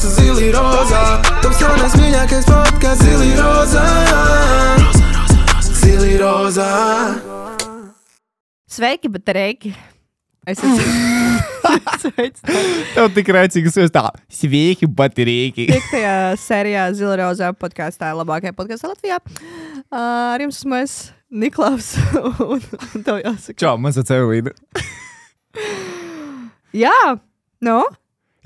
Zili Rozā. Taps jaunais mīļākais podcasts Zili Rozā. Zili Rozā. Sveiki, bet reiki. Es esmu Tev tik raicīgas jūs tā, sveiki, baterīgi. Piektajā sērijā Zila Rozā podkāstā labākajā podkāstā Latvijā. Ar jums esmu es, Niklaus, un tev jāsaka. Čau, man sauc Evelīna. Jā, nu?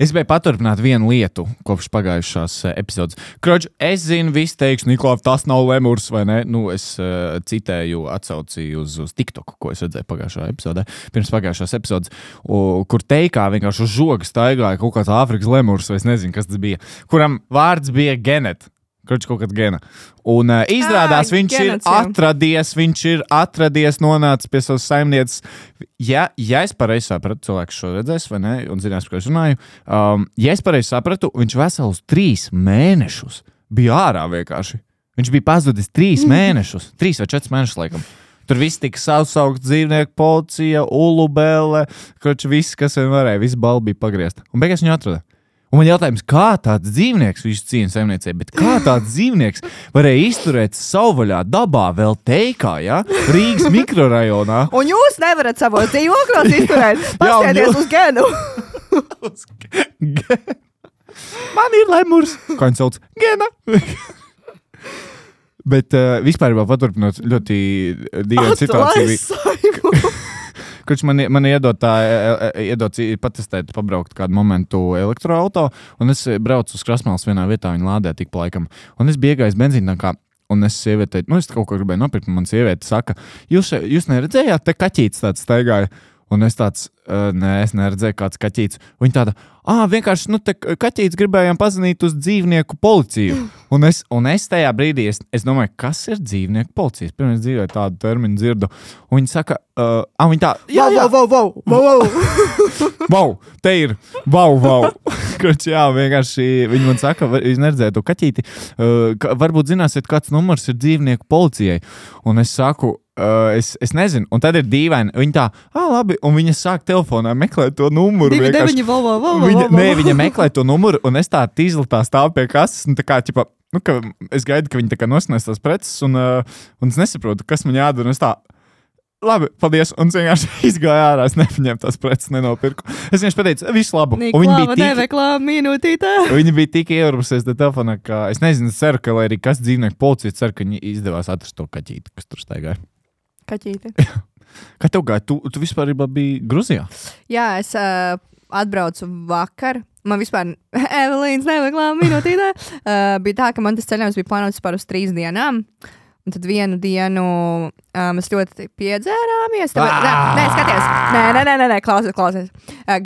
Es gribēju paturpināt vienu lietu kopš pagājušās epizodes. Kroč, es zinu, visi teiks, Niklaus, tas nav lemurs, vai ne? Nu, es citēju, atsaucīju uz TikToku, ko es redzēju pagājušā epizodē, pirms pagājušās epizodes, kur teikā vienkārši uz žoga staigāja kaut kāds Āfrikas lemurs, vai es nezinu, kas tas bija, kuram vārds bija Genet. Kroč, kaut kāds Gena. Un izrādās, viņš ir atradies, nonācis pie savas saimnieces. Ja es pareizi sapratu, cilvēks šo redzēs, vai ne, un zinās, par ko es runāju, ja es pareizi sapratu, viņš veselus 3 mēnešus bija ārā vienkārši. Viņš bija pazudis 3 mēnešus, 3 vai 4 mēnešus laikam. Tur viss tika saukt dzīvnieku policija, ulubele, kroč, viss, kas vien varēja, viss balva bija pagriezta. Un beigās viņu atrada. Un man jautājums, kā tāds dzīvnieks, viņš cīna saimniecību, bet kā tāds dzīvnieks varēja izturēt savvaļā dabā vēl teikā, ja? Rīgas mikrorajonā? Un jūs nevarat savos dzīvokļos izturēt. Pastieties uz Genu. Man ir lemurs. Kā viņš sauc? Gena. Bet vispār vēl paturpinot ļoti dīvainu situāciju. Kurš man iedod patestēt, pabraukt kādu momentu elektroauto, un es braucu uz Krasmālas vienā vietā, viņa lādē tik pa laikam. Un es biegāju benzīntankā, un es sievietei, es kaut ko gribēju nopirkt, un man sieviete saka, jūs neredzējāt, te kaķītis tāds staigāja? Un es tāds, nē, es neredzēju kāds kaķītis. Viņa tāda, vienkārši, te kaķītis gribējām pazvanīt uz dzīvnieku policiju. Un es tajā brīdī, es domāju, kas ir dzīvnieku policijas? Pirmais dzīvē tādu terminu dzirdu. Un viņa saka, viņa tā, jā. Vau, te ir, vau. Kroč, jā, vienkārši viņi man saka, jūs neredzējāt to kaķīti. Varbūt zināsiet, kāds numurs ir dzīvnieku policijai. Un es saku, es nezinu, un tad ir dīvaini. Viņa tā, labi, un viņa sāk telefonā meklēt to numuru. Viņa meklē to numuru, un es tā izlatā stāvu pie kases, un tā kā, ķipa, ka es gaidu, ka viņi tā kā nosnēs tās preces, un es nesaprotu, kas man jādara, un es tā, labi, paldies, un es vienkārši izgāju ārā, es nepaņēmu tās preces, nenopirku. Es vienkārši pateicu, visu labu. Niklāva neveklā minūtītē. Viņa bija tik ieurbusies te telefonā, ka es nezinu, ceru, ka lai arī kas dzīvnieku policija, ceru, ka viņi izdevās atrast to kaķīti, kas tur staigāja. Kaķīti. Kā tev gāja? Tu vispār biji Gruzijā? Jā, es atbraucu vakar. Man vispār Evelīnas neveklā minūtītē. Bija tā, ka man tas ceļojums bija plānots par uz 3 dienām. Un tad vienu dienu mēs ļoti piedzērāmies. Nē, skaties. Nē, klausies.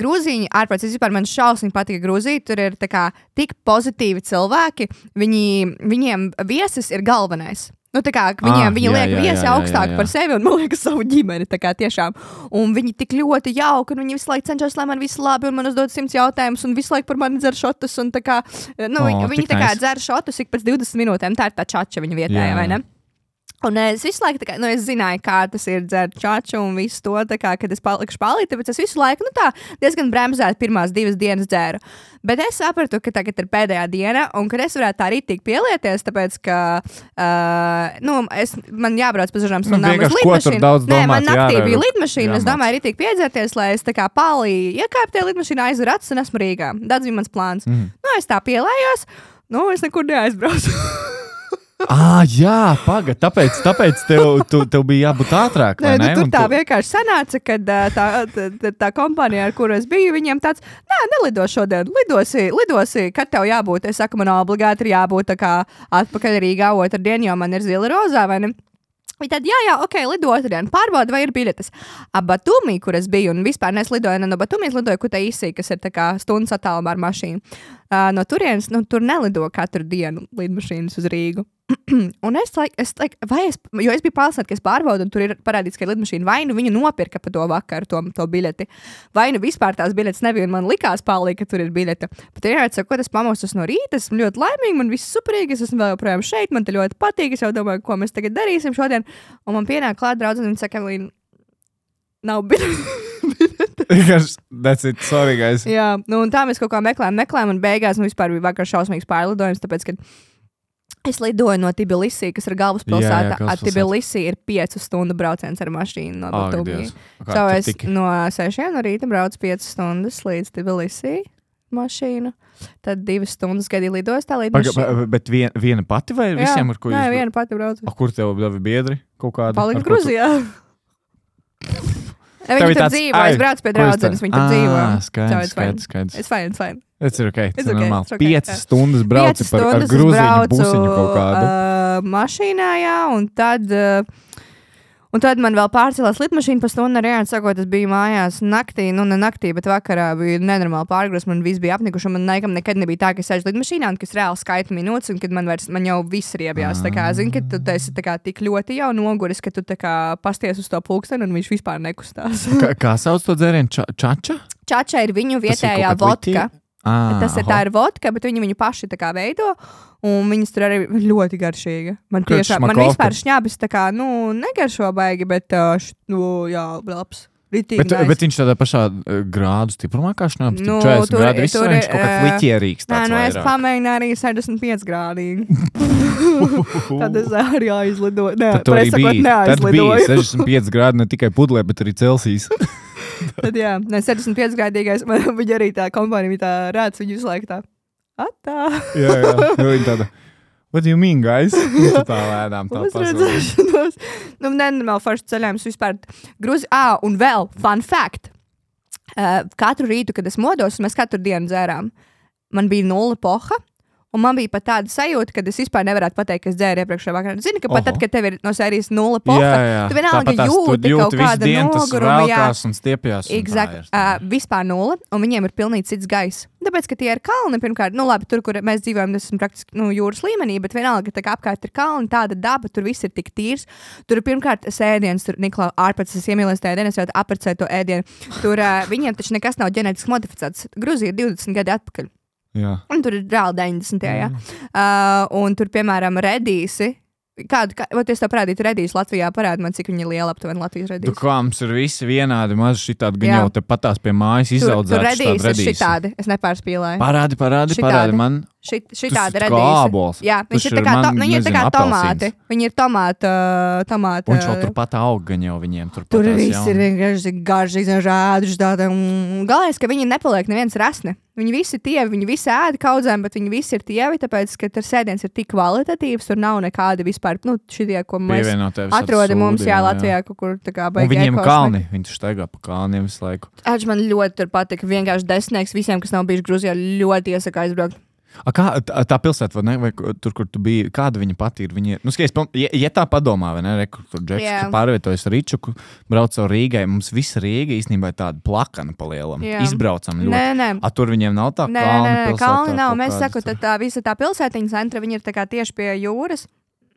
Grūzīņi ārprāts, vispār man šausmīgi patika Grūzija. Tur ir tā kā tik pozitīvi cilvēki. Viņiem viesis ir galvenais. Tā kā viņi liek viesi augstāk par sevi un man liekas savu ģimeni, tā kā tiešām. Un viņi tik ļoti jauki, un viņi visu laiku cenšas, lai man viss labi, un man uzdod 100 jautājumus, un visu laiku par mani dzer šotus, un tā kā, viņi tā kā dzer šotus ik pēc 20 minūtēm, tā ir tā čača viņa vietējā, vai ne? Un es visu laiku, tā kā, es zināju, kā tas ir dzert čaču un visu to, tā kā, kad es palikšu palīt, tāpēc es visu laiku, tā diezgan bremzēt pirmās 2 dienas dzēru. Bet es sapratu, ka tagad ir pēdējā diena, un kad es varētu tā rītīgi pielieties, tāpēc, ka, man jābrauc pa dažām stundām uz lidmašīnu. Nē, man naktī bija lidmašīna, es domāju rītīgi piedzerties, lai es tā kā palī iekāpu tie lidmašīnā, aizveru acis un esmu Rīgā. Tāds bija mans plāns. Es tā pielējos, es nekur neaizbraucu. Jā, pagad, tāpēc tev bija jābūt ātrāk, vai ne? Tur tā vienkārši sanāca, kad tā kompānija, ar kuru es biju, viņiem tāds, nelido šodien, lidosi, kad tev jābūt. Es saku, man obligāti ir jābūt tā kā atpakaļ Rīgā otrdien, jo man ir Zila Rozā, vai ne? Viņi tad, ok, lido otrdien, pārbauda, vai ir biļetes. Batumī, kur es biju, un vispār neslidoju no Batumijas, lidoju Kutaisī, kas ir tā kā stundas attālumā ar mašīnu. No turienes, tur nelido katru dienu lidmašīnas uz Rīgu. Un jo es biju pārliecināta, ka es pārbaudu, un tur ir parādīts, ka lidmašīna vai nu viņa nopirka pa to vakaru to biļeti, vai nu vispār tās biļetes nebija, un man likās palīgi, ka tur ir biļete. Bet sakot, es pamostos no rīta, esmu ļoti laimīga, man viss superīgi, es esmu vēl joprojām šeit, man te ļoti patīk, es jau domāju, ko mēs tagad darīsim šodien, un man pienāk klāt draudzene, un viņa saka, Evelīna, nav biļete. That's it, sorry, guys. Jā, nu, un tā mēs kaut kā meklējām, un beigās vispār bija vakar šausmīgs pārlidojums, tāpēc, ka es lidoju no Tbilisī, kas ir galvaspilsēta. Tbilisī ir 5 stundu brauciens ar mašīnu no Batumi. Es no 6 no rīta braucu 5 stundas līdz Tbilisī mašīnu. Tad 2 stundas gaidīju lidostā līdz mašīnu. Bet viena pati vai visiem, ar ko jūs? Nē, viena pati braucu. Kur tev bija biedri kaut kādi? Palika Gruzijā. Viņi tur dzīvo, es braucu pie draudzenes, viņi tur dzīvo. Skaidrs. It's fine. Tas ir ok, tas ir normāli. Okay. 5 stundas brauci ar grūziņu busiņu kaut kādu. Mašīnā, jā, un tad man vēl pārcēlās lidmašīna pa stundu ar Jānu, sakot, es biju mājās naktī, nu ne naktī, bet vakarā bija nenormāli pārgrūs, man viss bija apnikuši, un man nekad nebija tā, ka es sēžu lidmašīnā, un ka es reāli skaitu minūtes, un kad man jau viss riebjās, tā kā, zini, ka tu esi tā kā tik ļoti jau noguris, ka tu tā kā pasties uz to pulksteni, un viņš vispār nekustās. Kā sauc to dzērienu? Čača? Čača ir viņu vietējā vodka. Tā ir vodka, bet viņi viņu paši tā kā veido, un viņas tur arī ļoti garšīga. Man vispār šņābis tā kā, negaršo baigi, bet, jā, labs. Bet viņš tādā pašā grādu stiprumā kā šņābis? 40 grādi viss, vai viņš kaut kāds liķierīgs tāds vairāk? Es pamēģināju arī 65 grādīgi. Tad es arī aizlidoju. Tad tu arī biji. Tad bija 65 grādi ne tikai pudlē, bet arī Celsijas. Tad jā, 75 gadīgais, viņa arī tā kompānija bija tā rāds, viņa visu laiku tā, atā. Jā, viņa tāda, what do you mean, guys? Tā lēdām tā pasauli. Nenormāli forši ceļājums vispār Gruzi. Un vēl, fun fact, katru rītu, kad es modos, mēs katru dienu dzērām, man bija 0 poha. Un man bija pat tāda sajūta, ka es vispār nevarētu pateikt, ka es dzēru iepriekšējā vakarā. Zini, ka pat tad, kad tev ir no sērijas 0 poha, tu vienalga jūti kaut kādu nogurumu. Jā, un stiepjās. Exact. Vispār 0, un viņiem ir pilnīgi cits gaiss. Tāpēc, ka tie ir kalni, pirmkārt, labi, tur, kur mēs dzīvojam, tas ir praktiski jūras līmenī, bet vienalga, ka tā kā apkārt ir kalni, tāda daba, tur viss ir tik tīrs. Tur ir pirmkārt sēdiens, tur Niklā ārpēc, es iemīlēs tajā dienas, jau aprecēju to ēdienu. Tur viņiem taču nekas nav ģenētiski modificēts. Gruzija ir 20 gadi atpakaļ. Jā. Un tur ir reāli 90. Jā. Un tur, piemēram, redīsi. Vai es tev parādītu redīsi Latvijā? Parādi man, cik viņi ir liela aptuveni Latvijas redīsi. Kā mums ir visi vienādi, maz šitādi, gan jau te patās pie mājas izaudzēts. Tur redīsi ir šitādi, es nepārspīlēju. Parādi man. Šitādi redīsi. Jā, viņi ir tā kā tomāti. Viņi ir tomāti. Un šo turpat aug gan jau viņiem. Tur viss ir vienkārši garšīgi, žādži tāda. Galvenais, ka viņi nepaliek neviens rasni. Viņi visi tievi, viņi visi ēda kaudzēm, bet viņi visi ir tievi, tāpēc, ka tur sēdiens ir tik kvalitatīvs, tur nav nekādi vispār, šitie, ko mēs atrodam mums, Latvijā, kaut kur tā kā baigi. Un viņiem kalni, viņi staigā pa kalniem visu laiku. Man ļoti tur patika, vienkārši desmitnieks visiem, kas nav bijuši Gruzijā, ļoti iesaka aizbraukt. Kā tā pilsēta, vai tur, kur tu biji, kāda viņa pati ir? Viņa, ja tā padomā, vai ne, tur Džeks, ka pārvietojas Ričuku, brauc caur Rīgai, mums visa Rīga īstenībā ir tāda plakana palielam. Izbraucam ļoti. Nē. Tur viņiem nav tā kalna pilsēta? Kalni nav, mēs sakot, tā visa tā pilsētiņa centra, viņa ir tā kā tieši pie jūras,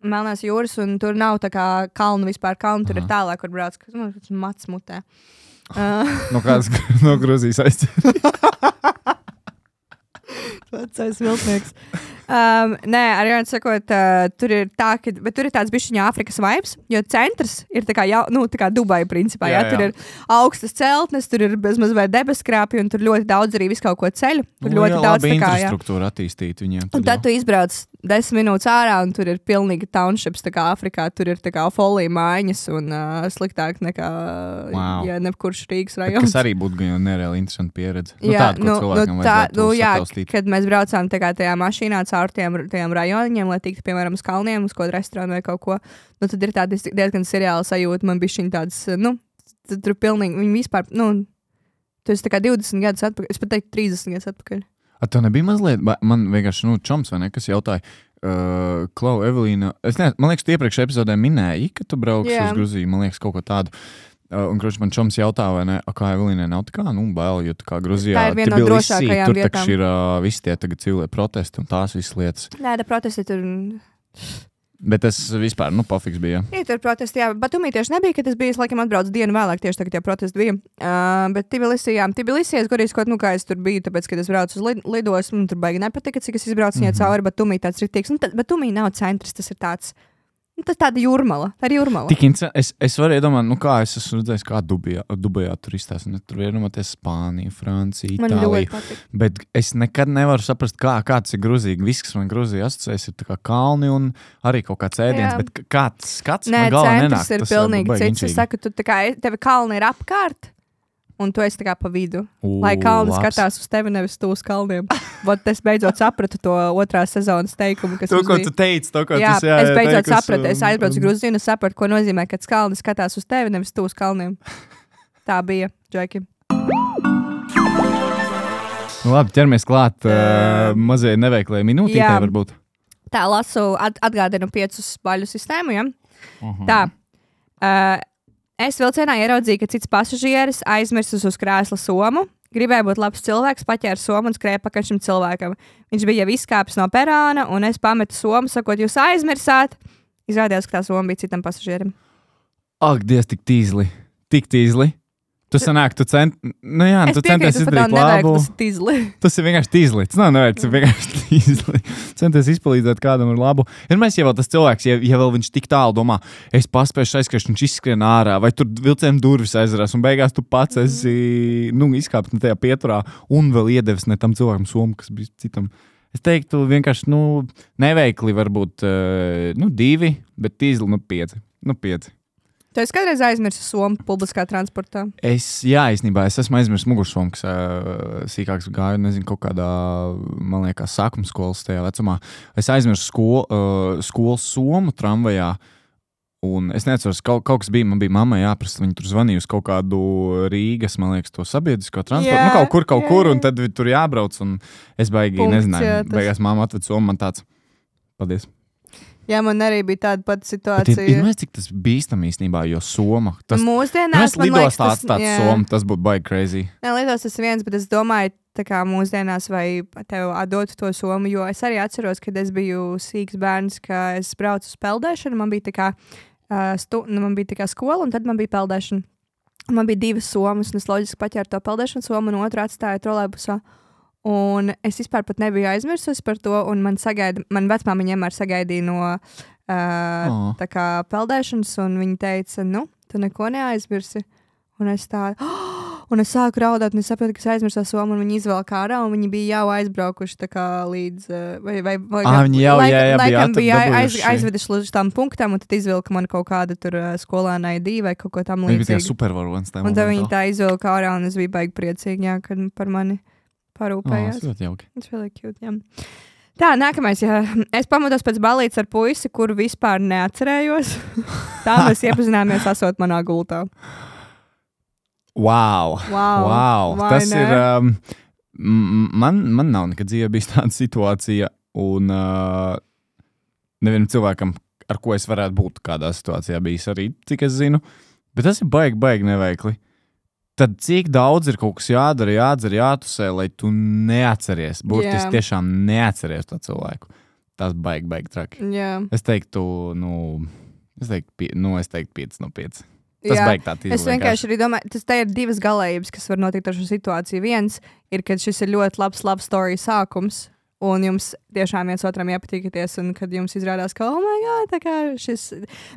Melnās jūras, un tur nav tā kā kalnu vispār, tur ir tālāk, kur brauc, kas man mats mutē. No Gruzijas aizķer. Vecais viltnieks. Nē, arī sakot, tur ir tā, bet tur ir tāds bišķiņa Āfrikas vibes, jo centrs ir tā kā, tā kā Dubai principā, jā. Tur ir augstas celtnes, tur ir bezmaz vai debeskrāpji, un tur ļoti daudz arī visu kaut ko ceļu. Tur ļoti daudz tā kā, infrastruktūra attīstīt viņiem. Un tad tu izbrauc 10 minūtes ārā, un tur ir pilnīgi townships, tā kā Āfrikā, tur ir tā kā folija mājiņas, un sliktāk nekā, ja nekurš Rīgas rajons. Kas arī būtu gan nereāli interesanti pieredze. Kad mēs braucām tā kā tajā mašīnā caur tiem rajoniem, lai tiktu, piemēram, uz kalniem, uz kaut restorānu vai kaut ko, tad ir tāda diezgan seriāla sajūta, man bišķiņ tāds, tur pilnīgi, viņi vispār, tu esi tā kā 20 gadus atpakaļ, es pat teiktu 30 gadus atpakaļ. Tev nebija mazliet, man vienkārši, čoms vai ne, kas jautāja, Klau, Evelīna, man liekas, tu iepriekšējā epizodē minēji, ka tu brauks uz Gruziju, man liekas, kaut ko tādu. Un, kurš man čoms jautā, vai ne, kā Evelīnai nav tā kā, bail, jo tā kā Gruzijā, tā ir viena no drošākajām tur vietām. Tur ir visi tie tagad civilie protesti un tās visas lietas. Nē, protesti tur... Bet tas vispār, pofiks bija. Tur protesti, jā, Batumī tieši nebija, kad es biju, laikam atbraucu dienu vēlāk, tieši tagad tie protesti bija. Bet Tbilisī, es godīgi skot, kā es tur biju, tāpēc, kad es braucu uz lidosmu, tur baigi nepatika, cik es izbraucu viņai cauri Batumī tāds ritīgs. Batumī nav centrs, tas ir tāds Tas tāda jūrmala. Tā ir jūrmala. Es varu iedomāt, kā es esmu redzējis, kā Dubajā tur izstāsta. Tur ir iedomāties Spānija, Francija, Itālija. Bet es nekad nevaru saprast, kāds ir Gruzija. Viss, kas man Gruzija asociēs, ir tā kā kalni un arī kaut kāds ēdiens. Bet kāds skats man galvā nenāk. Tas ir pilnīgi cits. Es saku, tevi kalni ir apkārt. Un tu esi tā kā pa vidu. Lai kalni skatās uz tevi, nevis tu uz kalniem. Vot es beidzot sapratu to 2. sezonas teikumu, kas to, ko tu teici, to, ko tas es beidzot sapratu. Es aizbraucu Gruziju un sapratu, ko nozīmē, ka kalni skatās uz tevi, nevis tu uz kalniem. Tā bija, Džeki. Labi, ķeramies klāt mazai neveiklai minūtītē varbūt. Tā, lasu, atgādinu 5 baļu sistēmu, ja? Tā. Es vilcienā ieraudzīju, ka cits pasažieris aizmirsis uz krēsla somu. Gribēja būt labs cilvēks, paķēra somu un skrēja pakaļ šim cilvēkam. Viņš bija jau izkāpis no perāna, un es pametu somu, sakot, jūs aizmirsāt. Izrādījās, ka tā soma bija citam pasažierim. Ak, Dievs, tik tīzli. Tu sanāk, tu centies izdarīt labu. Tas ir vienkārši tīzli. Tas nav nevajag, tas ir vienkārši tīzli. Centies izpalīdzēt kādam ar labu. Vienmēr, ja vēl tas cilvēks, ja vēl viņš tik tālu domā, es paspēšu aizskriešu, viņš izskrien ārā, vai tur vilcienu durvis aizrās, un beigās tu pats esi, izkāpis ne tajā pieturā, un vēl iedevis ne tam cilvēkam somu, kas bija citam. Es teiktu vienkārši, neveikli varbūt, 2, bet tīzli, 5. 5. Tu esi kādreiz aizmirsis somu publiskā transportā? Īstenībā es esmu aizmirsis mugursomu, kas sīkāks gāju, nezinu, kaut kādā, man liekas, sākuma skolas tajā vecumā. Es aizmirsu skolas somu tramvajā, un es neatceros, kaut kas bija, man bija mammai jāprasa, viņi tur zvanīja uz kaut kādu Rīgas, man liekas, to sabiedrisko transportu, kaut kur, un tad tur jābrauc, un es baigi nezināju, beigās mamma atved somu, man tāds, paldies. Jā, man arī bija tāda pati situācija. Ir cik tas bīstam īstenībā, jo soma. Mūsdienās, man liekas, tas būtu baigi crazy. Nē, lietos tas viens, bet es domāju, tā kā mūsdienās vai tev atdot to somu, jo es arī atceros, kad es biju sīks bērns, ka es braucu uz peldēšanu, man bija tā kā, man bija tā kā skola, un tad man bija peldēšana. Man bija 2 somas, un es loģiski paķēru to peldēšanu somu, un otru atstāju trolejbusā. Un es vispār pat nebiju aizmirsusi par to, un man vecmāmiņa vienmēr sagaidīja no tā kā peldēšanas, un viņa teica, tu neko neaizmirsi. Un es sāku raudāt, un es sapratu, ka es aizmirsu somu, un viņi izvelk ārā, un viņi bija jau aizbraukuši tā kā līdz, viņi bija aizveduši līdz tam punktam, un tad izvilka man kaut kāda tur skolēnai divi vai kaut ko tam līdzīgi. Viņi bija supervaronis. Un tad viņi tā izvilka ārā, un es biju baigi priecīgi, jā, kad par mani parūpējās. Tas ļoti jauki. Tas ļoti cute, jā. Tā, nākamais, jā. Es pamodos pēc balītes ar puisi, kuru vispār neatcerējos. Tā mēs iepazināmies asot manā gultā. Wow. Tas ir... man nav nekad dzīvē bijis tāda situācija, un nevienam cilvēkam, ar ko es varētu būt kādā situācijā bijis arī, cik es zinu. Bet tas ir baigi neveikli. Tad cik daudz ir kaut kas jādara, jādzer, jātusē, lai tu neatceries. Burtiski tiešām neatceries to cilvēku. Tas baigi traki. Yeah. Es teiktu 5 no 5. Tas baigi tā tīzli. Es vienkārši arī domāju, te ir 2 galējības, kas var notikt ar šo situāciju. Viens ir, kad šis ir ļoti labs love story sākums, un jums tiešām viens otram iepatīkaties, un kad jums izrādās, ka, oh my god, tā kā šis...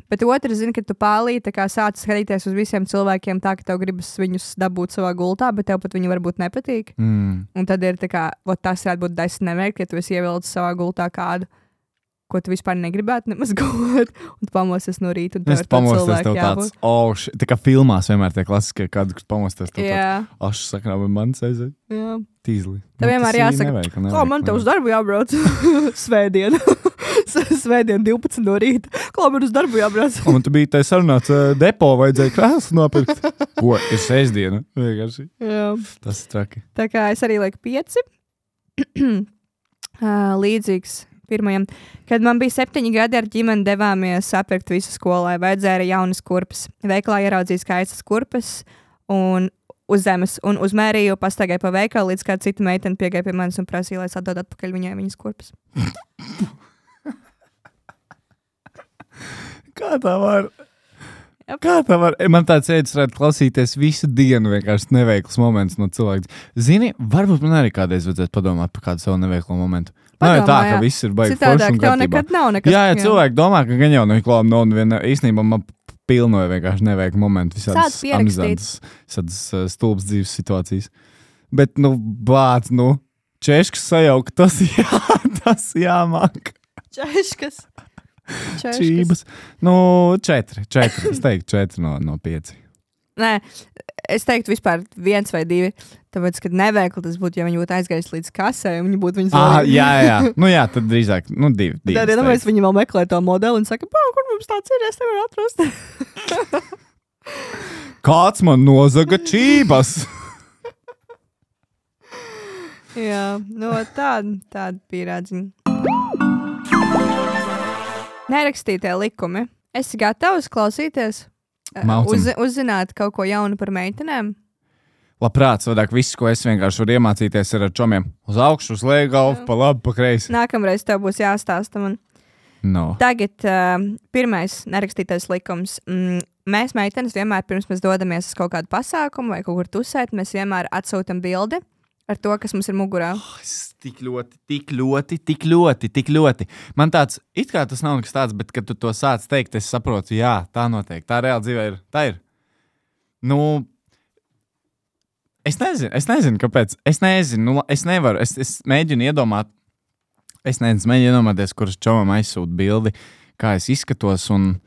Bet otrs, zini, kad tu pālīji, tā kā sāc skatīties uz visiem cilvēkiem tā, ka tev gribas viņus dabūt savā gultā, bet tev pat viņi varbūt nepatīk. Un tad ir tā kā, tas varētu būt 10 neveikli, ja tu esi ievilcis savā gultā kādu, ko tu vispār negribētu nemaz gulēt, un tu pamosties no rīta, un tev ir tāds cilvēki jābūt. Tā kā filmās vienmēr tie klasiskie, kādu, kas pamosties, tev tāds, ašs saknā, vai mans aiziet. Jā. Tīzli. Tev vienmēr jāsaka, man tev uz darbu jābrauc svētdien. Svētdien 12 no rīta. Kā man uz darbu jābrauc? Man tu biji tai sarunāts depo, vajadzēja krēslu nopirkt. Ko? Ir sestdiena. Vienkārši. Jā. Tas ir traki. Tā kā es arī lieku 5. Līdzīgs pirmajam. Kad man bija 7 gadi, ar ģimeni devāmies sapirkt visu skolai. Vajadzēja jaunas kurpes. Veikalā ieraudzīju skaistas kurpes un uz zemes, un uzmērīju, pastaigāju pa veikalu, līdz kāda cita meitene piegāja pie manis un prasīja, lai es atdod atpakaļ viņai viņas kurpes. Kā tā var? Kā tā var? Man tāds ēdis varētu klausīties visu dienu vienkārši neveikls moments no cilvēks. Zini, varbūt man arī kādreiz vajadzētu padomāt par kādu savu neveiklu momentu. Nav tā, ka viss ir baigi forši un tev nekad nav nekas. Jā, cilvēki domā, ka gan jau neklām nav neviena. Īstenībā man pilnoja vienkārši neveiklu momentu. Visādas amizantas, stulbas dzīves situācijas. Bet, bāc, češkas sajaukt, tas jāmāk. Češkas. Čības. 4. Es teiktu 4 no 5. Nē, es teiktu vispār 1 vai 2. Tāpēc, kad neveikli tas būtu, ja viņi būtu aizgājis līdz kasē, un viņi būtu viņas Jā, tad drīzāk 2. Tad, iedomājies, viņi vēl meklē to modeli un saka, kur mums tāds ir, es nevaru atrast. Kāds man nozaga čības? Jā, tāda pierādziņa. Nerakstītie likumi. Esi gatavs klausīties? Uzzināt kaut ko jaunu par meitenēm? Labprāt, savādāk viss, ko es vienkārši varu iemācīties, ir ar čomiem. Uz augšu, uz leju galvu, pa labi, pa kreisi. Nākamreiz tev būs jāstāsta man. No. Tagad pirmais nerakstītais likums. Mēs meitenes vienmēr pirms mēs dodamies uz kaut kādu pasākumu vai kaut kur tusēt, mēs vienmēr atsūtam bildi ar to, kas mums ir mugurā. Tik ļoti. Man tāds, it kā tas nav nekas tāds, bet, kad tu to sāc teikt, es saprotu, jā, tā notiek. Tā reāli dzīvē ir. Tā ir. Es nezinu, kāpēc. Es nevaru. Es mēģinu iedomāties, kuras čomam aizsūt bildi, kā es izskatos, un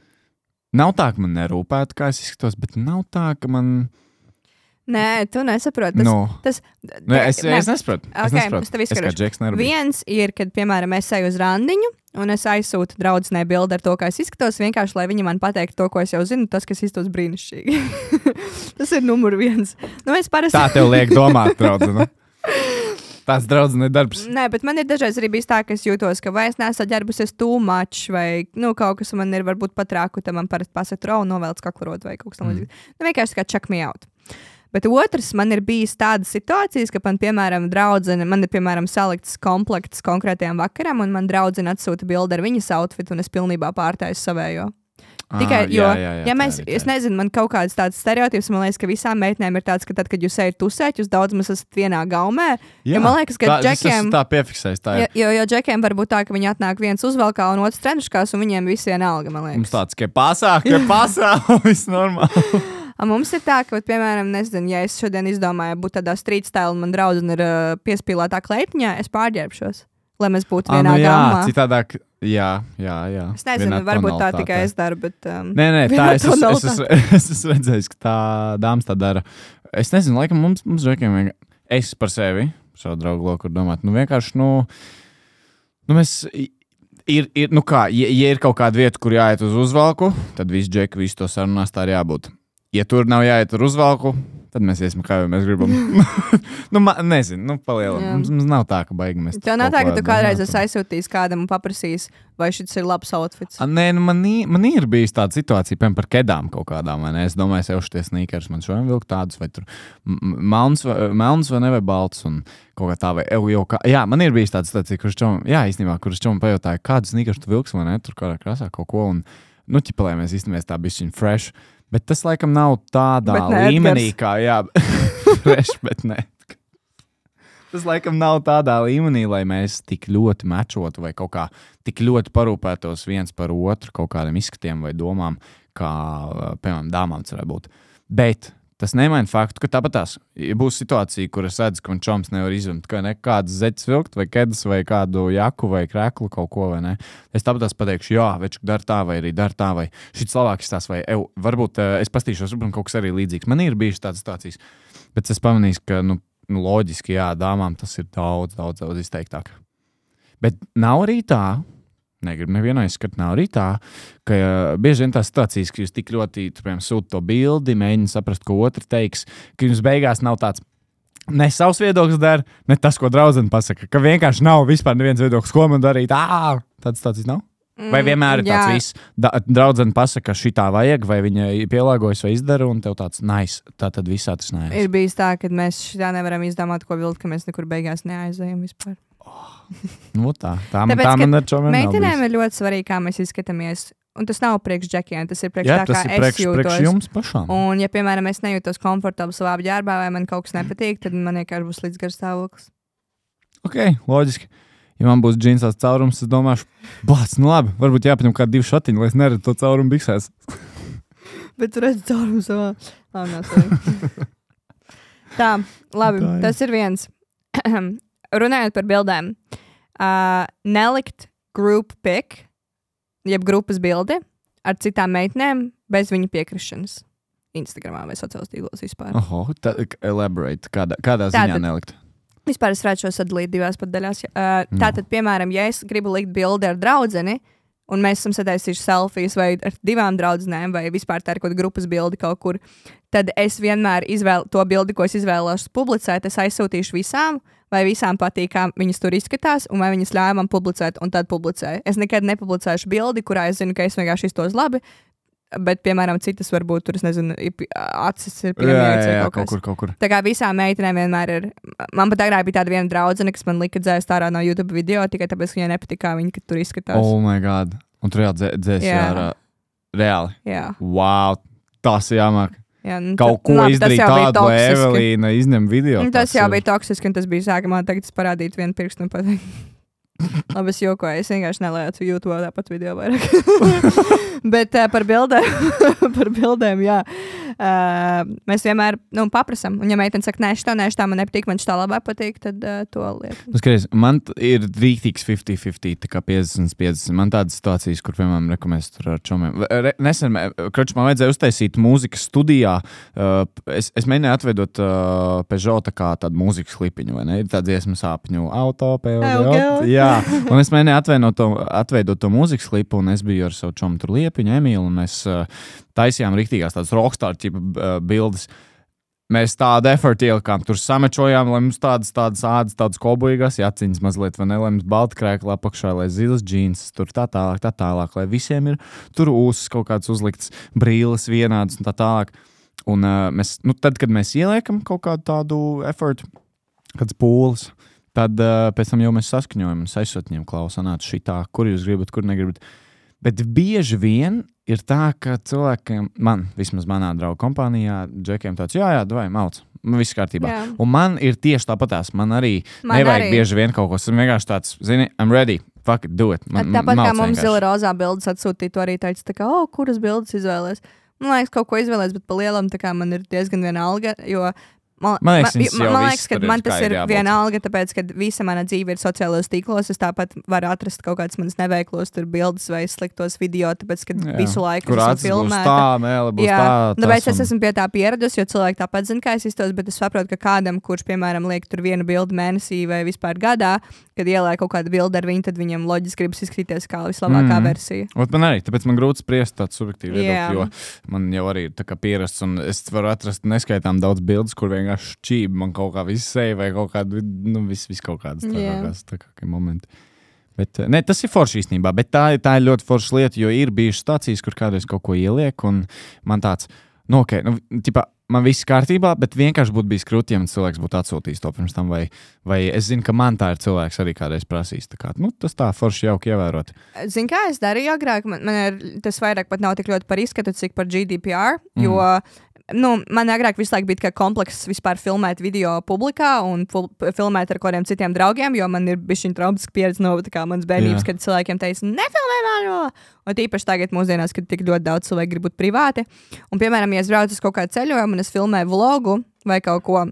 nav tā, ka man nerūpētu, kā es izskatos, bet nav tā, ka man... Nē, tu nesaproti. Es nesaprotu. Es tev izskaidrošu. Viens ir, kad, piemēram, es eju uz randiņu, un es aizsūtu draudzenei bildi ar to, kā es izskatos, vienkārši, lai viņa man pateiktu to, ko es jau zinu, tas, kas izskatos brīnišķīgi. Tas ir numur 1. Tā tev liek domāt, draudzene. Tāds draudzene darbs. Nē, bet man ir dažreiz arī bijis tā, ka es jūtos, ka vai es neesmu ģērbusies too much, vai kaut kas man ir varbūt pat rāku, tad man parasti pasaka, novelc kaklarot vai kaut kas tam līdzīgs. Vienkārši kā check me out. Bet otrs, man ir bijis tādas situācijas, ka man, piemēram, man ir salikts komplekts konkrētajām vakaram, un man draudzene atsūta bildi ar viņas outfitu, un es pilnībā pārtāju savējo. Tikai, es nezinu, man kaut kāds tāds stereotips, man liekas, ka visām meitenēm ir tāds, ka tad, kad jūs ejat tusēt, jūs daudz maz esat vienā gaumē. Jā, man liekas, ka džekiem... Tā piefiksēs, tā ir. Jo džekiem var būt tā, ka viņi atnāk viens uzvalkā un otrs trenuškās, un viņiem visi vienalga, man liekas. Mums tāds, ka pasā, viss normāli. Mums ir tā, ka, piemēram, nezinu, ja es šodien izdomāju būt tādā street style un man draudzene ir piespīlētā kleitiņā, es pārģērbšos, lai mēs būtu vienā gaumā. Citādāk, jā. Es nezinu, varbūt tā tikai es daru, bet... Nē, tā es esmu redzējis, ka tā dāmas tā dara. Es nezinu, laikam mums džekiem es par sevi, savu draugu loku, domāt, vienkārši, mēs... Ja ir kaut kāda vieta, kur jāiet uz uzvalku, tad visi džeki, visi to sarunās, tā arī jābūt. Ja tur nav jāiet ar uzvalku, tad mēs iesim, kā jau mēs gribam. Nezinu, palielam. Mums nav tā, ka baigi mēs... Tev nav tā, ka tu kādreiz esi aizsūtījis kādam un paprasījis, vai šis ir labs outfits? Nē, man ir bijis tāda situācija, piemēram, par kedām kaut kādām, vai ne? Es domāju, es jau šitie sneakers, man šodien vilk tādus, vai tur melns vai ne, vai balts, un kaut kā tā, vai jā, man ir bijis tāda situācija, kuras čomam pajautāja, kādu sneakers tu vilks, vai ne, tur kādā krāsā kaut ko, un, ķipalē mēs īstenībā tā bišķiņ fresh. Bet tas, laikam, nav tādā līmenī, kā, fresh, bet ne. Tas, laikam, nav tādā līmenī, lai mēs tik ļoti mečotu vai kaut kā tik ļoti parūpētos viens par otru kaut kādiem izskatiem vai domām, kā, piemēram, dāmām cerētu būt. Bet tas nemaina faktu, ka tāpatās būs situācija, kur es redzu, ka man čoms nevar izvemt, ka nekādas zeķes vilkt vai kedas vai kādu jaku vai kreklu kaut ko, vai ne. Es tāpatās pateikšu, jā, večuk dar tā vai arī dar tā, vai šits labāk izstās, vai varbūt es pastīšos, varbūt kaut kas arī līdzīgs. Man ir bijušas tādas situācijas, bet es pamanīju, ka, loģiski, jā, dāmām tas ir daudz izteiktāk. Bet nav arī tā, negribu nevienu aizskart, nav arī tā, ka bieži vien tās situācijas, ka jūs tik ļoti, piemēram, sūta to bildi, mēģina saprast, ko otru teiks, ka jums beigās nav tāds, ne savs viedoklis dara, ne tas, ko draudzene pasaka, ka vienkārši nav vispār neviens viedoklis, ko man darīt, tāds situācijas nav? Vai vienmēr ir tāds viss, draudzene pasaka, ka šitā vajag, vai viņa pielāgojas vai izdara, un tev tāds nice, tā tad viss atrisinājās. Ir bijis tā, ka mēs šitā nevaram izdomāt, ko vilkt, ka mēs nekur beigās neaizējam vispār. Tā man ar čomiem meitenēm ir ļoti svarīgi, kā mēs izskatāmies. un tas nav priekš džekiem, tas ir priekš Jā, tā, tas kā ir es jūtos. priekš jums pašām. Un, ja, piemēram, es nejūtos komfortabli savā ģērbā vai man kaut kas nepatīk, tad man vienkārši būs līdz garas stāvoklis. Ok, loģiski. Ja man būs džinsās caurums, es domāšu, blāc, nu labi, varbūt jāpaņem kādi 2 šatiņi, lai es neredzu to caurumu biksēs. Bet tu redzi caurumu savā. Tā, labi, tas ir viens. Runājot par bildēm. Nelikt group pic, jeb grupas bildi ar citām meitnēm bez viņa piekrišanas. Instagramā vai sociālos tīklos vispār. Oho, elaborate, kādā ziņā nelikt? Vispār es varētu šo sadalīt 2 pat daļās. Tātad, piemēram, ja es gribu likt bildi ar draudzeni, un mēs esam sataisījuši selfijas vai ar 2 draudzenēm, vai vispār tā ir kaut kāda grupas bildi kaut kur, tad es vienmēr to bildi, ko es izvēlos publicēt, es aizsūtīšu visām, vai visām patīk, kā viņas tur izskatās, un vai viņas ļauj man publicēt, un tad publicēju. Es nekad nepublicēšu bildi, kurā es zinu, ka es vienkārši iztos labi, bet, piemēram, citas varbūt tur, es nezinu, acis ir piemērots vai kaut kur. Tā kā visām meitenēm vienmēr ir. Man pat agrāk bija tāda viena draudzene, kas man lika dzēst ārā no YouTube video, tikai tāpēc, ka viņai nepatīk, kā viņa tur izskatās. Oh my god. Un tur dzēst ārā. Reāli. Jā. Wow, tas jāmāk. Jā, kaut ko izdarīt tādu, lai Evelīna izņem video. Tas jau bija toksiski, un tas bija sākumā tagad parādīt vienu pirkstu un pateikt. Labi, es jokoju, es vienkārši nelēcu YouTube tāpat video vairāk. Bet par bildēm, jā. Mēs vienmēr paprasam. Un ja meitene saka, nē, šitā man nepatīk, man šitā labāk patīk, tad to liek. Skaties, man ir rīktīgs 50-50, tā kā 50-50. Man tādas situācijas, kur, piemēram, mēs tur ar čomiem. Nesen, man vajadzēja uztaisīt mūzikas studijā. Es mēģināju atveidot Peugeot tā kā tādu mūzikas klipiņu, vai ne? Ir tā dziesma sāpņu auto, Peugeot. Jā, un es mēģināju atveidot to mūzikas klipu, un es biju ar savu čomu tur Liepiņu, Emīlu, un mēs taisījām riktīgās tādas rockstar tipa bildes. Mēs tādu effortu ielikām, tur samečojām, lai mums tādas ādas, tādas kobuīgās jaciņas mazliet, vai ne, lai mums balta krēkla apakšā, lai zilas džīns, tur tā tālāk, lai visiem ir tur ūsas kaut kāds uzlikts, brīles vienādas un tā tālāk. Un tad, kad mēs ieliekam kaut kādu tādu effortu, kāds pūles, tad pēc tam jau mēs saskaņojam un aizsūtījām klausanāt šitā, kur jūs gribat, kur negribat. Bet bieži vien ir tā, ka cilvēkiem, vismaz manā draugu kompānijā, džekiem tāds, jā, davai, malc, viss kārtībā. Jā. Un man ir tieši tāpatās, man arī nevajag bieži vien kaut ko, es vienkārši tāds, zini, I'm ready, fuck it, do it. Tāpat kā mums zila rozā bildes atsūtīja, tu arī teici, tā kā, kuras bildes izvēlēs? Man liekas, kaut ko izvēlēs, bet pa lielam tā kā man ir diezgan vienalga, jo Man liekas, ka man tas ir vienalga, tāpēc, ka visa mana dzīve ir sociālajos tīklos. Es tāpat varu atrast kaut kādas manas neveiklos bildes vai sliktos video, tāpēc, ka visu laiku esmu filmēta. Tāpēc es esmu pie tā pieradusi, jo cilvēki tāpat zina, kā es iztos, bet es saprotu, ka kādam, kurš, piemēram, liek tur vienu bildi mēnesī vai vispār gadā, kad ielēja kaut kādu bildi ar viņu, tad viņam loģiski gribas izskatīties kā vislabākā versija. Man arī, tāpēc man grūti spriest tādu subjektīvu viedokli, jo man jau arī ir tā kā pierasts, un es varu atrast neskaitām daudz bildes, kur vienkārši šķība man kaut kā viss seja vai kaut kāda, viss kaut kādas tākākie momenti. Bet, ne, tas ir forši īstenībā, bet tā ir ļoti forša lieta, jo ir bijušas stācijas, kur kādreiz kaut ko ieliek, un man tāds, man viss kārtībā, bet vienkārši būtu bijis krūti, ja man cilvēks būtu atsūtījis to pirms tam, vai es zinu, ka man tā ir cilvēks arī kādreiz prasījis. Tā kā, tas tā forši jauki ievērot. Zini, kā es darīju agrāk? Man ir, tas vairāk pat nav tik ļoti par izskatu, cik par GDPR, jo man agrāk visu laiku bija komplekss vispār filmēt video publikā un filmēt ar kādiem citiem draugiem, jo man ir bišķiņ traumatiska pieredze no manas bērnības, kad cilvēkiem teica, nefilmē mani! Un īpaši tagad mūsdienās, kad tik ļoti daudz cilvēku grib būt privāti. Un, piemēram, ja es braucu uz kaut kādu ceļojumu un es filmēju vlogu vai kaut ko,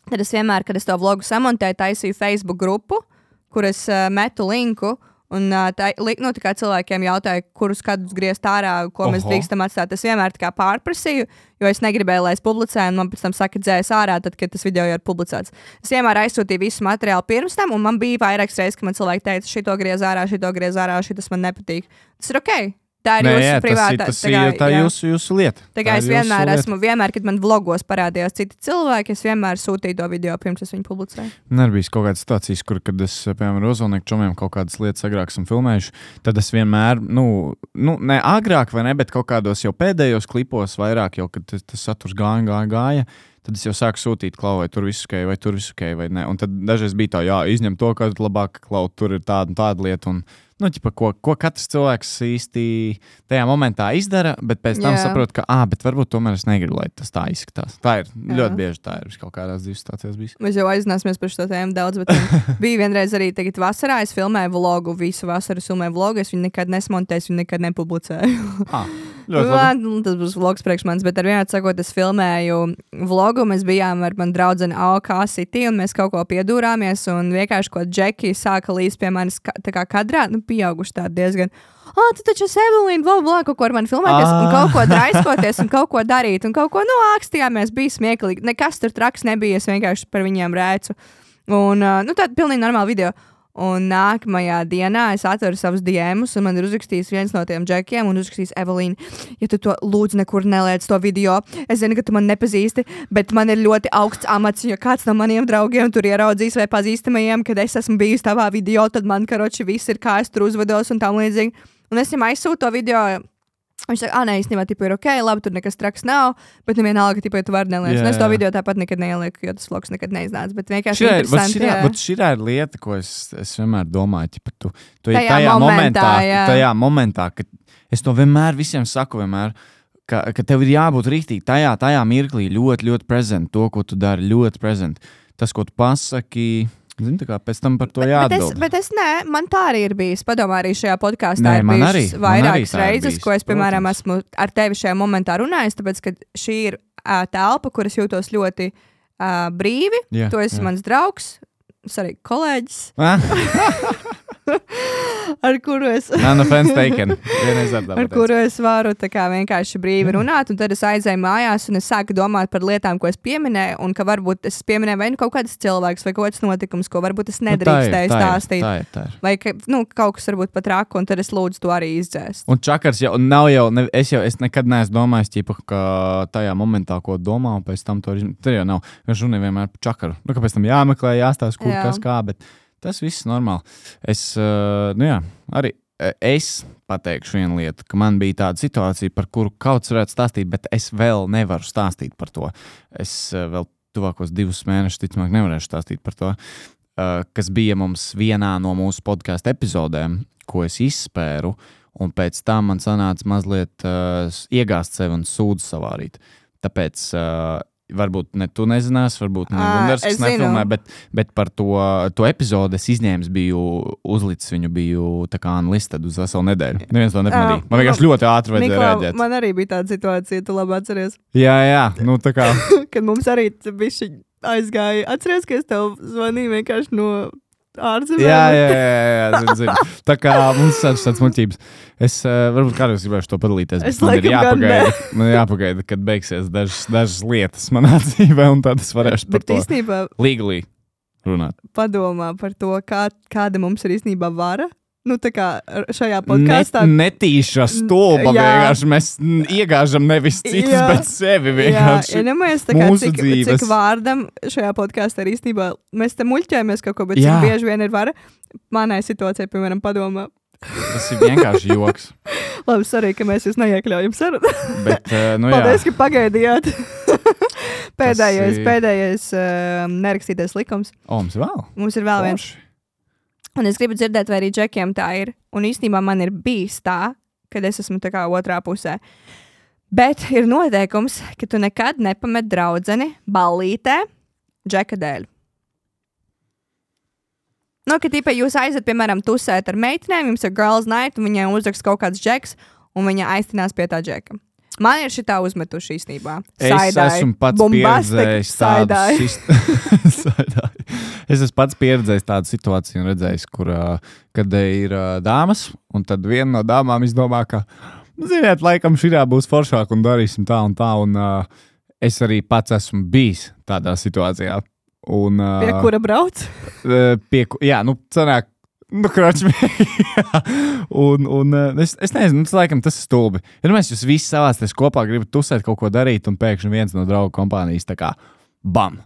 tad es vienmēr, kad es to vlogu samontēju, taisīju Facebook grupu, kur es metu linku. Un tā kā cilvēkiem jautāja, kurus kadrus griezt ārā, ko mēs drīkstam atstāt. Es vienmēr tā kā pārprasīju, jo es negribēju, lai es publicēju, un man pēc tam saka, dzēs ārā, tad, kad tas video jau ir publicēts. Es vienmēr aizsūtīju visu materiālu pirms tam, un man bija vairākas reizes, ka man cilvēki teica, šito griez ārā, šitas man nepatīk. Tas ir ok. Tā ir jūsu privātā. Tā ir jūsu lieta. Tā kā es vienmēr esmu, kad man vlogos parādījās citi cilvēki, es vienmēr sūtīju to video pirms es viņu publicēju. Ir bijis kaut kādas situācijas, kur, kad es, piemēram, Rozolnieku čomiem kaut kādas lietas agrāk esmu filmējuši, tad es vienmēr, ne agrāk vai ne, bet kaut kādos jau pēdējos klipos vairāk, jau, kad tas saturs gāja, tad es jau sāku sūtīt, klau, vai tur viss ok, vai ne. Un tad dažreiz bija tā, jā, izņem to, ka labāk, klau, tur ir tāda un tāda lieta. Un, ķipa, ko katrs cilvēks īsti tajā momentā izdara, bet pēc tam saprot, ka, bet varbūt tomēr es negribu, lai tas tā izskatās. Tā ir ļoti bieži, tā ir kaut kādās dzīves situācijās bijis. Mēs jau aizināsimies par šo tēmu daudz, bet bija vienreiz arī tagad vasarā, es filmēju vlogu, visu vasaru filmēju vlogu, es viņu nekad nesmontēju, viņu nekad nepublicēju. Tas būs vlogs priekš manis, bet ar vienādi sakot, es filmēju vlogu, mēs bijām ar mani draudzeni AOK City, un mēs kaut ko piedūrāmies, un vienkārši, ko Džeki sāka līdz pie manis tā kā kadrā, pieauguši tādi diezgan, tu taču esi Evelīna, kaut ko ar mani filmēties, un kaut ko draiskoties, un kaut ko darīt, un kaut ko, ākstījāmies, bija smieklīgi, nekas tur traks nebija, es vienkārši par viņiem rēcu, un, tāda pilnīgi normāla video. Un nākamajā dienā es atveru savus DMus, un man ir uzrakstījis viens no tiem džekiem, un uzrakstījis Evelīna, ja tu to lūdzu nekur neliec to video, es zinu, ka tu man nepazīsti, bet man ir ļoti augsts amats, ja kāds no maniem draugiem tur ieraudzīs vai pazīstamajiem, kad es esmu bijis tavā video, tad man, karoči, viss ir kā es tur uzvedos un tam līdzīgi. Un es viņam aizsūtu to video. Viņš saka, nē, īstenībā, ir ok, labi, tur nekas traks nav, bet vienalga, ja tu vari neliec. Un es to video tāpat nekad neielieku, jo tas vlogs nekad neiznāca, bet vienkārši interesanti. Šī ir lieta, ko es vienmēr domāju, tu tajā momentā, kad es to vienmēr visiem saku, ka tev ir jābūt rīktīgi tajā mirklī ļoti, ļoti prezent, to, ko tu dari, ļoti prezent. Tas, ko tu pasaki, zini, tā kā pēc tam par to jāatbild. Bet es nē, man tā arī ir bijis. Padomā, arī šajā podkāstā ir bijušas vairākas reizes, ko es, piemēram, esmu ar tevi šajā momentā runājis, tāpēc, ka šī ir telpa, kuras jūtos ļoti brīvi. Tu esi mans draugs, arī kolēģis. Ar kuru es varu tā kā vienkārši brīvi runāt, un tad es aizēju mājās, un es sāku domāt par lietām, ko es pieminēju, un ka varbūt es pieminēju vai kaut kāds cilvēks, vai kaut kāds notikums, ko varbūt es nedrīkstēju stāstīt. Tā ir. Vai kaut kas varbūt pat raku, un tad es lūdzu to arī izdzēst. Un čakars jau nav es nekad neesmu domājis, ka tajā momentā, ko domā, un pēc tam to jau nav. Viņš runā vienmēr par čakaru. Kāpēc tam jāmeklē, jāstāsta, kur kas kā, bet tas viss normāli. Arī es pateikšu vienu lietu, ka man bija tāda situācija, par kuru kauts varētu stāstīt, bet es vēl nevaru stāstīt par to. Es vēl tuvākos 2 mēnešus, ticamāk, nevarēšu stāstīt par to, kas bija mums vienā no mūsu podkāstu epizodēm, ko es izspēru, un pēc tam man sanāca mazliet iegāzt sevi un sūdzu savārīt. Tāpēc varbūt ne tu nezināsi, varbūt ne Gundars, kas nefilmē, bet par to epizodi es izņēmis, uzlicis viņu, biju tā kā unlisted uz veselu nedēļu. Neviens to nepamanīja. Man vienkārši ļoti ātri vajadzēja reaģēt. Man arī bija tāda situācija, tu labi atceries. Jā, tā kā. Kad mums arī bišķi aizgāja. Atceries, ka es tev zvanīju vienkārši no ārzemēm? Jā, zinu. Tā kā mums tāds muļķības. Es varbūt kādreiz gribēšu to padalīties, bet man jāpagaida, kad beigsies dažas lietas manā dzīvē, un tad es varēšu par to legally runāt. Padomā par to, kāda mums ir īstenībā vara. Tā kā šajā podkāstā. Netīša stulba vienkārši. Mēs iegāžam nevis citus, bet sevi vienkārši. Iedomājies tā kā cik vārdam šajā podkāstā ir īstenībā. Mēs te muļķējamies kaut ko, bet cik bieži vien ir vara. Manai situācijai, piemēram, padomā. Tas ir vienkārši joks. Labi, sorry, ka mēs jūs neiekļaujam sarunu. Bet, paldies, ka pagaidījāt. Pēdējais nerakstītais likums. Mums ir vēl viens. Un es gribu dzirdēt, vai arī džekiem tā ir. Un īstenībā man ir bijis tā, kad es esmu tā kā otrā pusē. Bet ir noteikums, ka tu nekad nepamet draudzeni ballītē džeka dēļ. Ka tīpa jūs aizat, piemēram, tusēt ar meitenēm, jums ir girls night, un viņai uzrakst kaut kāds džeks, un viņa aiztinās pie tā džeka. Man ir šitā uzmetuši īstenībā. Es esmu pats pieredzējis Es esmu pats pieredzējis tādu situāciju un redzējis, kad ir dāmas, un tad viena no dāmām izdomā, ka, ziniet, laikam šitā būs foršāk un darīsim tā un tā, un es arī pats esmu bijis tādā situācijā. Un, pie kura brauc? Sanāk, kroķi. un es nezinu, laikam tas ir stulbi. Ja mēs jūs visi savāsties kopā gribat tusēt kaut ko darīt, un pēkšņi viens no draugu kompānijas tā kā bam.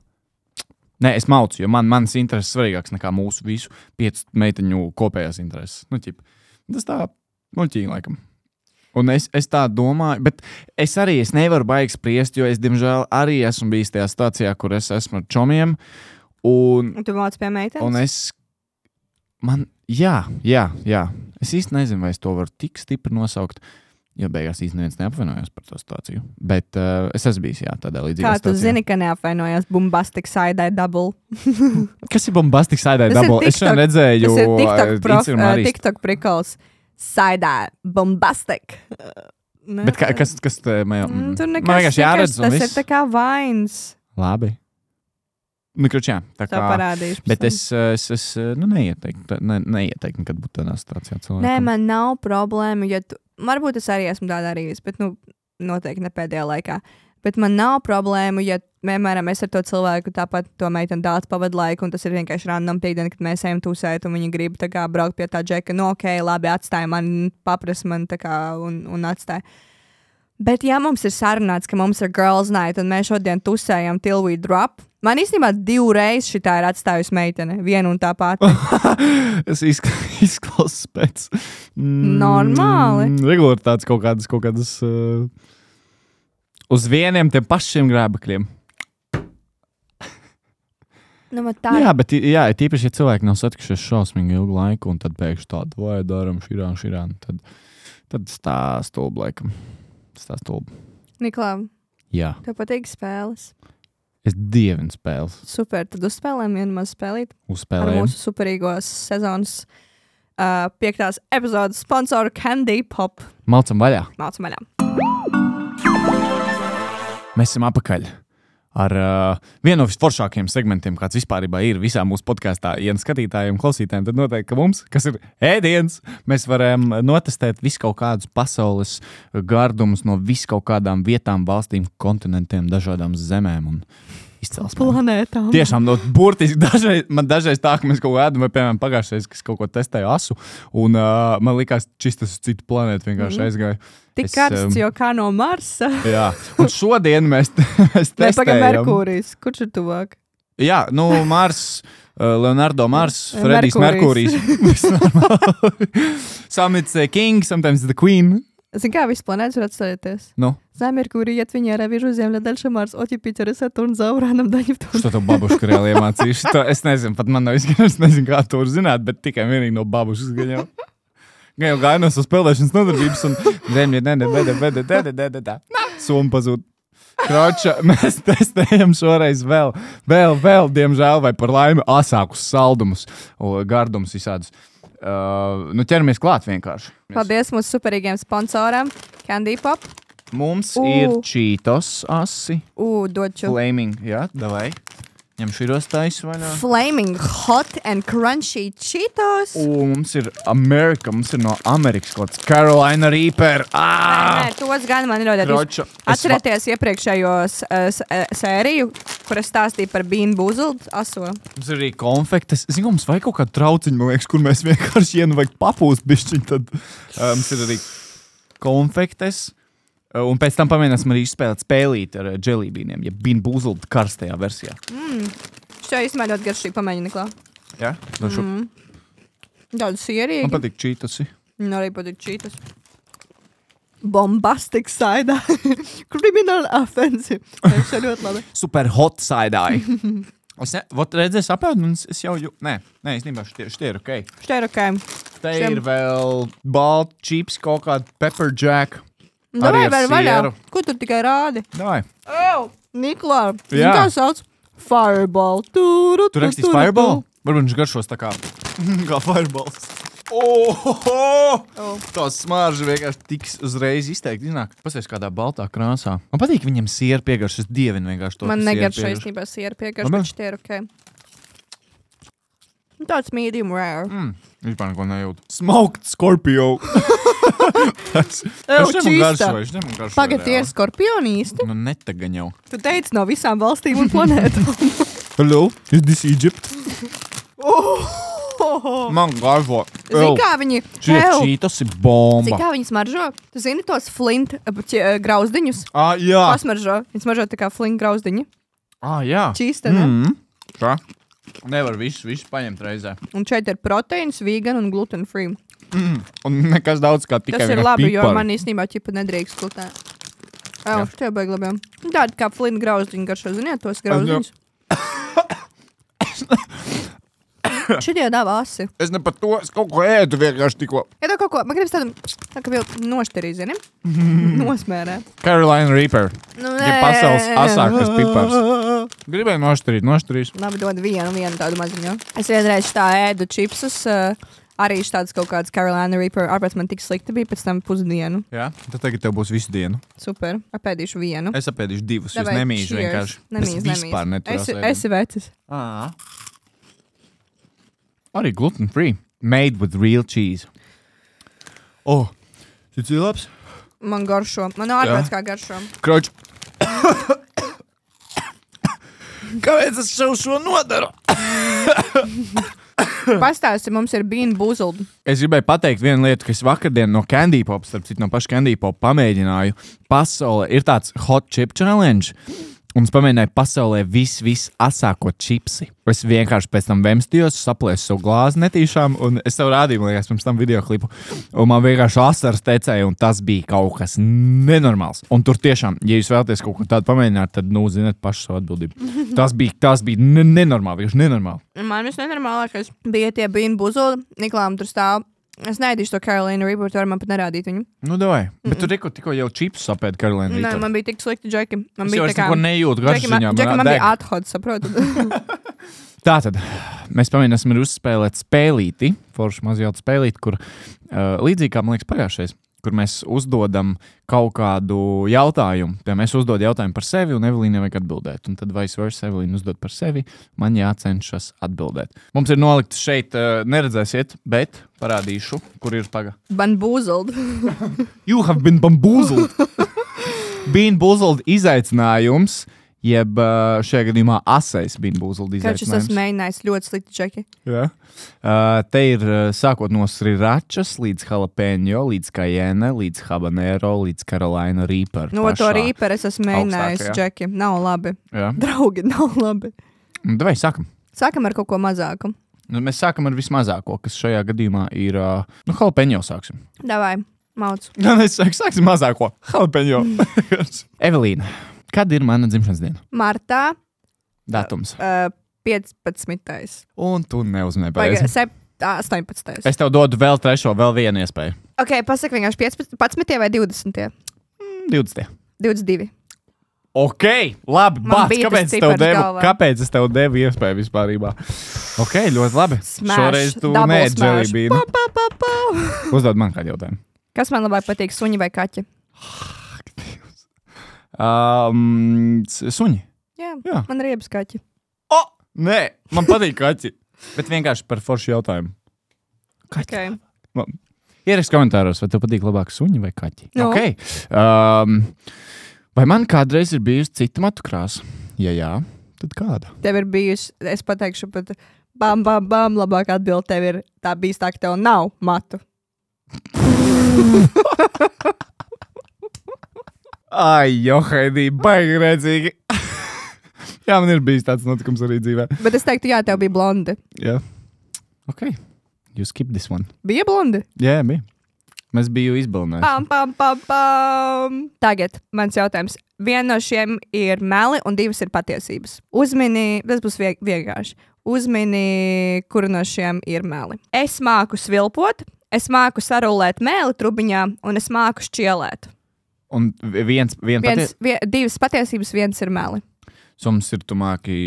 Nē, es maucu, jo manas intereses svarīgāks nekā mūsu visu 5 meiteņu kopējās intereses. Tas tā muļķīgi, laikam. Un es tā domāju, bet es nevaru baigi spriest, jo es, diemžēl, arī esmu bijis tajā stācijā, kur es esmu ar čomiem. Un tu māc pie meitenes? Un jā. Es īsti nezinu, vai es to varu tik stipri nosaukt, jo beigās īsti neviens neapvainojās par to situāciju. Bet es esmu bijis, tādā līdzīgā stācijā. Kā tu zini, ka neapvainojās Bombastic Side-Eye Double? Kas ir Bombastic Side-Eye Double? Es šodien redzēju TikTok prikals. Side-Eye Bombastic. Bet kas te man vienkārši jāredz un viss? Tas viss? ir tā kā vains. Labi. Nu, kručā, tā kā parādīšu. Bet es neieteiktu nekad būt tādā situācijā cilvēkam. Nē, man nav problēmu, ja varbūt es arī esmu tādā arī, bet noteikti ne pēdējā laikā. Bet man nav problēmu, ja, piemēram, es ar to cilvēku tāpat to meiteni daudz pavadu laiku, un tas ir vienkārši random piekdiena, kad mēs ejam tusēt, un viņi grib tā kā braukt pie tā džeka, ok, labi, atstāj man, papras man tā kā un atstāj. Bet ja mums ir sarunāts, ka mums ir girls night, un mēs šodien tusējam till we drop, man īstenībā 2 reizes šitā ir atstājusi meitene, vienu un tā pati. Es izklausās pēc... Normāli. Regularitātes kaut kādas uz vieniem tiem pašiem grēbakļiem. Tā. Jā, bet tīpaši, ja cilvēki nav satikušies šausmīgi ilgu laiku, un tad pēkšņi tādu, vai daram širān, tad stāst stulbi, laikam. Stāst stulbi. Niklā, Jā. tev patīk spēles? Es dievinu spēles. Super, tad uzspēlējam vienu mazu spēlīt. Uzspēlējam. Ar mūsu superīgos sezonas 5. epizodes sponsoru Candy Pop. Malcam vaļā. Mēs esam apakaļ ar vienu no visforšākajiem segmentiem, kāds vispārībā ir visā mūsu podkāstā. Ja skatītājiem, klausītājiem, tad noteikti, ka mums, kas ir ēdiens, mēs varam notestēt visu kaut kādus pasaules gardumus no visu kaut kādām vietām, valstīm, kontinentiem, dažādām zemēm un izcelsmēm. Planētām. Tiešām, burtiski dažreiz tā, ka mēs kaut ko ēdam, vai, piemēram, pagājušais, kas kaut ko testēja asu, un man likās, šis tas uz citu planētu vienkārši aizgāja. Tik karsts, jo kā no Marsa. Jā, un šodien mēs testējam. Pagaid Merkūrijs. Kurš ir tuvāk? Jā, Mars, Leonardo Mars, Fredijs Merkūrijs. Some it's a king, sometimes the queen. Zini, kā viss planētas var atstājieties? За Меркурий отвенера, вижу Земля, дальше Марс, от Юпитера, Сатурн, за Ураном, да Нептун. Что-то бабушка реāli iemācījuši. Es nezinu, pat man nav izgājis, nezinu, kā to var zināt, bet tikai vienīgi no babušas gaņau. Gan jau gāja no savu spēlēšanas nodarbības un Zemļa, Soma pazūd. Kroča, mēs testējam šoreiz vēl, diemžēl, vai par laimi asākus saldumus, gardumus visādus. Ķeramies klāt vienkārši. Paldies mūsu superīgiem sponsoram, Candy Pop. Mums ir Cheetos asi. Doču. Flaming, jā, davai. Ņem širos taisu vaļā. Flaming hot and crunchy Cheetos. Mums ir Amerika, mums ir no Amerikas kaut kāds Carolina Reaper. Nē, tos gan man ir ļoti. Atcerieties iepriekšējos sēriju, kur es stāstīju par Bean Boozled aso. Mums ir arī konfektes. Zinu, mums vajag kaut kādu trauciņu, man liekas, kur mēs vienkārši vajag papūst bišķiņ. Tad mums ir arī konfektes. Un pēc tam pamēģināsim arī izspēlēt spēlīt ar dželībīniem, ja Bean Boozled karstajā versijā. Šo īstenībā ļoti garšīgi pamēģini, Niklā. Jā? Daudz sierīgi. Man patīk Cheetosi. Man arī patīk Cheetos. Bombastic side. Criminal offensive. Tas ir ļoti labi. Super hot side-eye. Redzēs apēd, un es jau... Nē, īstenībā šitie ir ok. Šitie ir ok. Te ir vēl balt, chips, kaut kāda pepper jack. Davai, vēl vaļā. Ko tu tikai rādi? Davai. Niklā, kā sauc? Fireball. Tu rakstīs Fireball? Varbūt viņš garšos tā kā Fireballs. Tā smarža vienkārši tiks uzreiz izteikti iznāk. Pasies kādā baltā krāsā. Man patīk viņam siera piegaršas, es dievinu vienkārši to. Man negaršo īstenībā siera piegaršas, bet šitie ir ok. Tāds medium rare. Vispār neko nejūt. Smoked Scorpio. Es ņemu garšoju. Pagad, tie ir skorpioni īsti? Nu, netagaņ jau. Tu teici no visām valstīm un planētām. Hello, is this Egypt? Man garšo. Zini, kā viņi... Cheetos ir bomba. Zini, kā viņi smaržo? Tu zini tos flint grauzdiņus? Jā. Pasmaržo. Viņi smaržo tā kā flint grauzdiņi. Jā. Čīsta, ne? Tā. Nevar visu paņemt reizē. Un šeit ir proteīns, vegan un gluten free. Un nekas daudz kā tikai Tas ir vienkārši labi, jo pipari. man īstenībā ķipa nedrīkst klutē. Jā, šitie baigi labi. Tādi kā flina grauzdiņi garšo, ziniet, tos grauziņus. Šitie dāvā asi. Es ne par to, es kaut ko ēdu vienkārši tikko. Ja tev kaut ko, man gribas tādu, tā kā vēl nošterī, zini? Nosmērē. Carolina Reaper. Nu, Ir pasaules asākais pipars. Gribēju nošterīt. Labi, dod vienu tādu maziņu. Es vienreiz tā ēdu čipsus, arī tāds kaut kāds Carolina Reaper. Ārpēc man tik slikti bija pēc tam pusdienu. Jā, tad tagad tev būs visu dienu. Super, apēdīšu vienu. Es apēdīšu divus, Davai, es nemīžu cheers. vienkārši. Nemīz. Es vispār neturās Esi vecis. Arī gluten free. Made with real cheese. Šis ir labs. Man garšo. Man ārpēc kā garšo. Kroč. Kāpēc es šo nodaru? Pastāsti, mums ir bean boozled. Es gribēju pateikt vienu lietu, ka es vakardien no Candy Pop, starp citu no paša Candy Pop pamēģināju. Pasaulē ir tāds hot chip challenge. Un es pamēģināju pasaulē viss asāko čipsi. Es vienkārši pēc tam vemstījos, saplēsu savu glāzi netīšām, un es tev rādīju, man liekas, pirms tam videoklipu. Un man vienkārši asaras tecēja, un tas bija kaut kas nenormāls. Un tur tiešām, ja jūs vēlaties kaut ko tādu pamēģināt, tad, ziniet, pašu savu atbildību. Tas bija nenormāli, vienkārši nenormāli. Man viss nenormālākais bija tie bean boozled. Niklām tur stāv. Es neēdīšu to Carolina Reaper, tu vari man pat nerādīt viņu. Nu, davai. Bet tu tikko jau čipsus apēdi Carolina Reaper. Nē, man bija tik slikti, Džeki. Man Es bija jau tā kā... neko nejūtu garšiņā. Džeki, man bija athod, saprotu. Tātad, mēs pamēģināsim arī uzspēlēt spēlīti, forši mazjautu spēlīti, kur līdzīgi kā, man liekas, pagājušais, kur mēs uzdodam kaut kādu jautājumu. Piemēram, mēs uzdod jautājumu par sevi, un Evelīna vajag atbildēt. Un tad vice versa, Evelīna uzdod par sevi, man jācenšas atbildēt. Mums ir nolikts šeit, neredzēsiet, bet parādīšu, kur ir paga. Bamboozled. You have been bamboozled. Bean boozled izaicinājums, jeb šajā gadījumā asais bean boozled Kāds es esmu izaicinājums. mēģinājis ļoti slikti, Džeki. Jā. Te ir sākot no sriračas līdz jalapeņo, līdz cayenne, līdz habanero, līdz Carolina Reaper. No to Reaper es esmu mēģinājis, augstākajā. Džeki. Nav labi. Jā. Draugi, nav labi. Davai, sākam. Sākam ar kaut ko mazāku. Nu, mēs sākam ar vismazāko, kas šajā gadījumā ir, jalapeņo sāksim. Davai, mauc. Jā, es sāksim mazāko. Jalapeņo. Evelīna, kad ir mana dzimšanas diena? Martā Datums. 15. Un tu neuzmanīji Pagaid, pareizi. 18. Es tev dodu vēl vienu iespēju. Ok, pasaka vienkārši 15. vai 20. 20. 22. Ok, labi, Man bāc, bija kāpēc, tas tev cipars devu, galvā. kāpēc es tev devu iespēju vispārībā? Ok, ļoti labi. Smash, Šoreiz tu double neēd smash. dželībīnu. Pa. Uzdod man kādu jautājumu. Kas man labāk patīk, suņi vai kaķi? Suņi. Jā, Jā. man riebas kaķi. Nē, man patīk kaķi. Bet vienkārši par foršu jautājumu. Okay. Ieraksti komentāros, vai tev patīk labāk suņi vai kaķi. Nu. Okay. Vai man kādreiz ir bijusi cita matu krāsa? Ja jā, tad kāda? Tev ir bijusi, es pateikšu pat bam, labāk atbild tev ir tā bijis tā, ka tev nav matu. Ai, Johaidī, baigi redzīgi. Jā, man ir bijis tāds notikums arī dzīvē. Bet es teiktu, jā, tev bija blondi. Jā. Ok, you skip this one. Bija blondi? Jā, bija. Mēs biju izbalinājuši. Pam. Tagad mans jautājums. Viena no šiem ir meli un divas ir patiesības. Uzmini, tas būs vienkārši. Uzmini, kura no šiem ir meli. Es māku svilpot, es māku sarulēt mēli trubiņā un es māku šķielēt. Un Divas patiesības, viens ir meli. Mums ir tu māki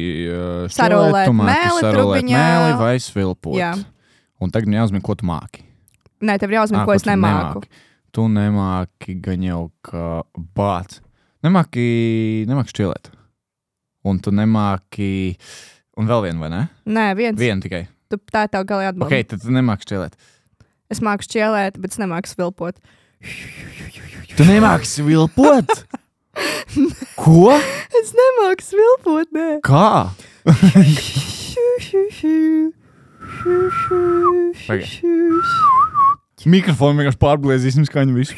Sarulēt tu māki mēli sarulēt trubiņā. mēli vai svilpot. Jā. Un tagad man jāuzmin, ko tu māki. Nē, tev ir jāuzmin, ko es tu nemāku. Tu nemāki gan jau kā bāc. Nemāki šķielēt. Un tu nemāki... Un vēl vienu, vai ne? Nē, viens. Vienu tikai. Tā ir tā galā atbilde. Ok, tad tu nemāki šķielēt. Es māku šķielēt, bet es nemāku svilpot. Tu nemāki svilpot? Ko? Es nemāku svilpot, nē. Kā? Mikrofonu vienkārši pārblēzīsim skaņu visu.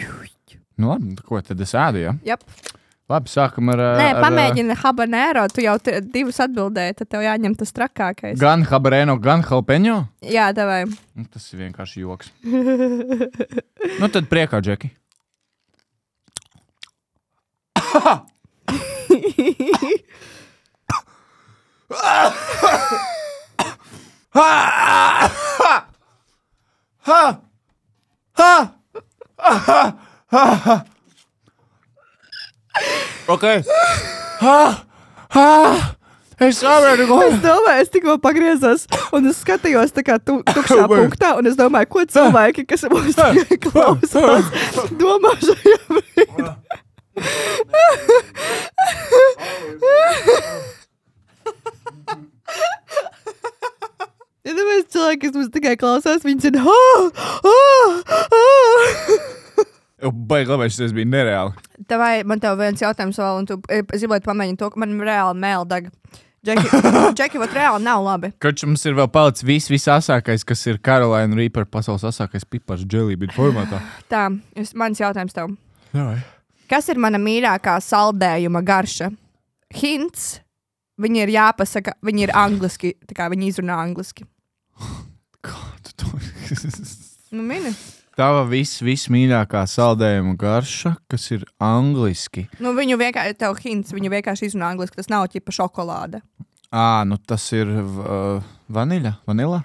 Nu labi, ko tad es ēdu, ja? Jep. Labi, sākam ar... Nē, pamēģini habanero, tu jau divus atbildēji, tad tev jāņem tas trakākais. Gan habanero, gan jalpeņo? Jā, davai. Tas ir vienkārši joks. Nu tad priekā, Džeki. Ok. Es saprotu, ko... Es domāju, es tikko pagriezos un es skatījos tā kā tukšā punktā un es domāju, ko cilvēki, kas mūs tikai klausās, domā šajā brīdī. Ja tāpēc cilvēki, kas mums tikai klausās, viņi zina, Baigi, labi, šis bija nereāli. Man tev viens jautājums vēl, un tu gribētu pamēģināt to, ka man reāli mēl dag. Džeki, vat reāli nav labi. Koč mums ir vēl palicis visasākais, kas ir Carolina Reaper pasaules asākais pipars jellybean formātā. Tā, mans jautājums tev. Jā. Kas ir mana mīļākā saldējuma garša? Hints, viņi ir jāpasaka, viņi ir angliski, tā kā viņi izrunā angliski. Kā tu to... Nu, mini. Tava vismīļākā saldējuma garša, kas ir angliski. Nu, viņu vienkārši, tev hints, viņu vienkārši izrunā angliski, tas nav ķipa šokolāde. Nu tas ir vaniļa? Vanila?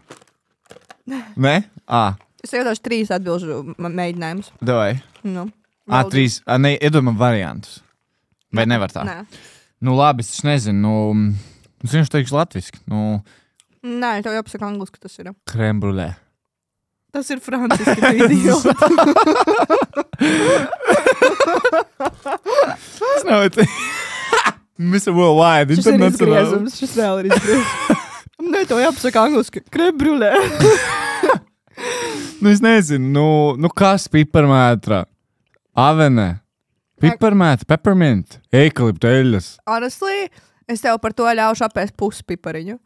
Nē? Es iedošu 3 atbilžu mēģinājumus. Davai. Nu, 3. Ne, iedomā variantus. Vai nevar tā? Nē. Nu labi, es nezinu. Es vienkārši teikšu latviski. Nē, tev jāpasaka angliski, tas ir. Crème brûlée. Tas ir franciski, tu idioti. Tas nav tā. Mr. Worldwide. Šis ir izgriezums, šis vēl ir izgriezums. Nē, tev jāpasaka angliski. Crème brûlée. Nu, es nezinu. Nu kas piparmētra? Avene. Piparmētra, peppermint. Eikalipteļas. Honestly, es tev par to ļaušu apēst pusi pipariņu.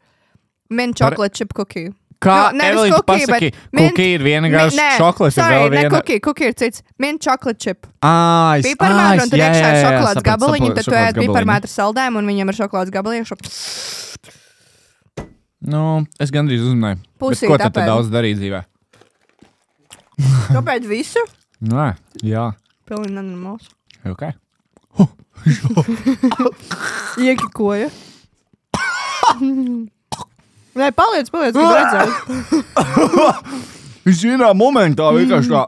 Mint chocolate chip cookie. Kā Evelīna pasaki, cookie ir viena garša, čokolāts ir vēl viena. Cookie ir cits. Mint chocolate chip. Piparmētra, un tur iekšā ir šokolādes gabaliņi, tad tu ēd piparmētra saldējumu un viņam ir šokolādes gabaliņi. Nu, es gandrīz uzmanēju. Pusīt ko tad daudz darīt dzīvē? Kāpēc visu? Nē, jā. Pilnīgi nenormāls. Ok. Iekikoja. Nē, paliec, gribu redzēt. Es vienā momentā vienkārši tā.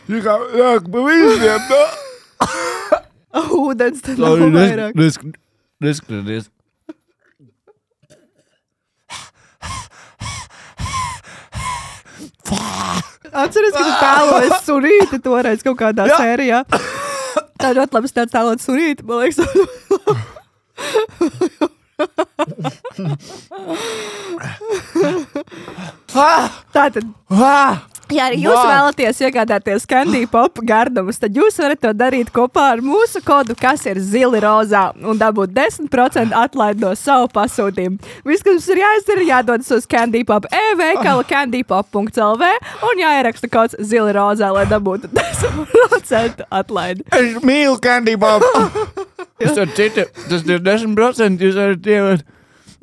Jāk pa visiem, tā. Ūdens tad nav vairāk. Neskaties. Atceries, ka tu tēloji sunīti toreiz kaut kādā sērijā. Tā ļoti labi tāds tēlot sunīti, man liekas. Tātad, ja arī jūs vēlaties iegādāties Candy Pop gardumus, tad jūs varat to darīt kopā ar mūsu kodu, kas ir zili rozā, un dabūt 10% atlaidi no savu pasūtījumu. Viss, kas mums ir jāizdara, jādodas uz Candy Pop e-veikalu candypop.lv un jāieraksta kods zili rozā, lai dabūtu 10% atlaidi. Es mīlu Candy Pop. Jūs ar citu, tas ir 10%, jūs varat ievēt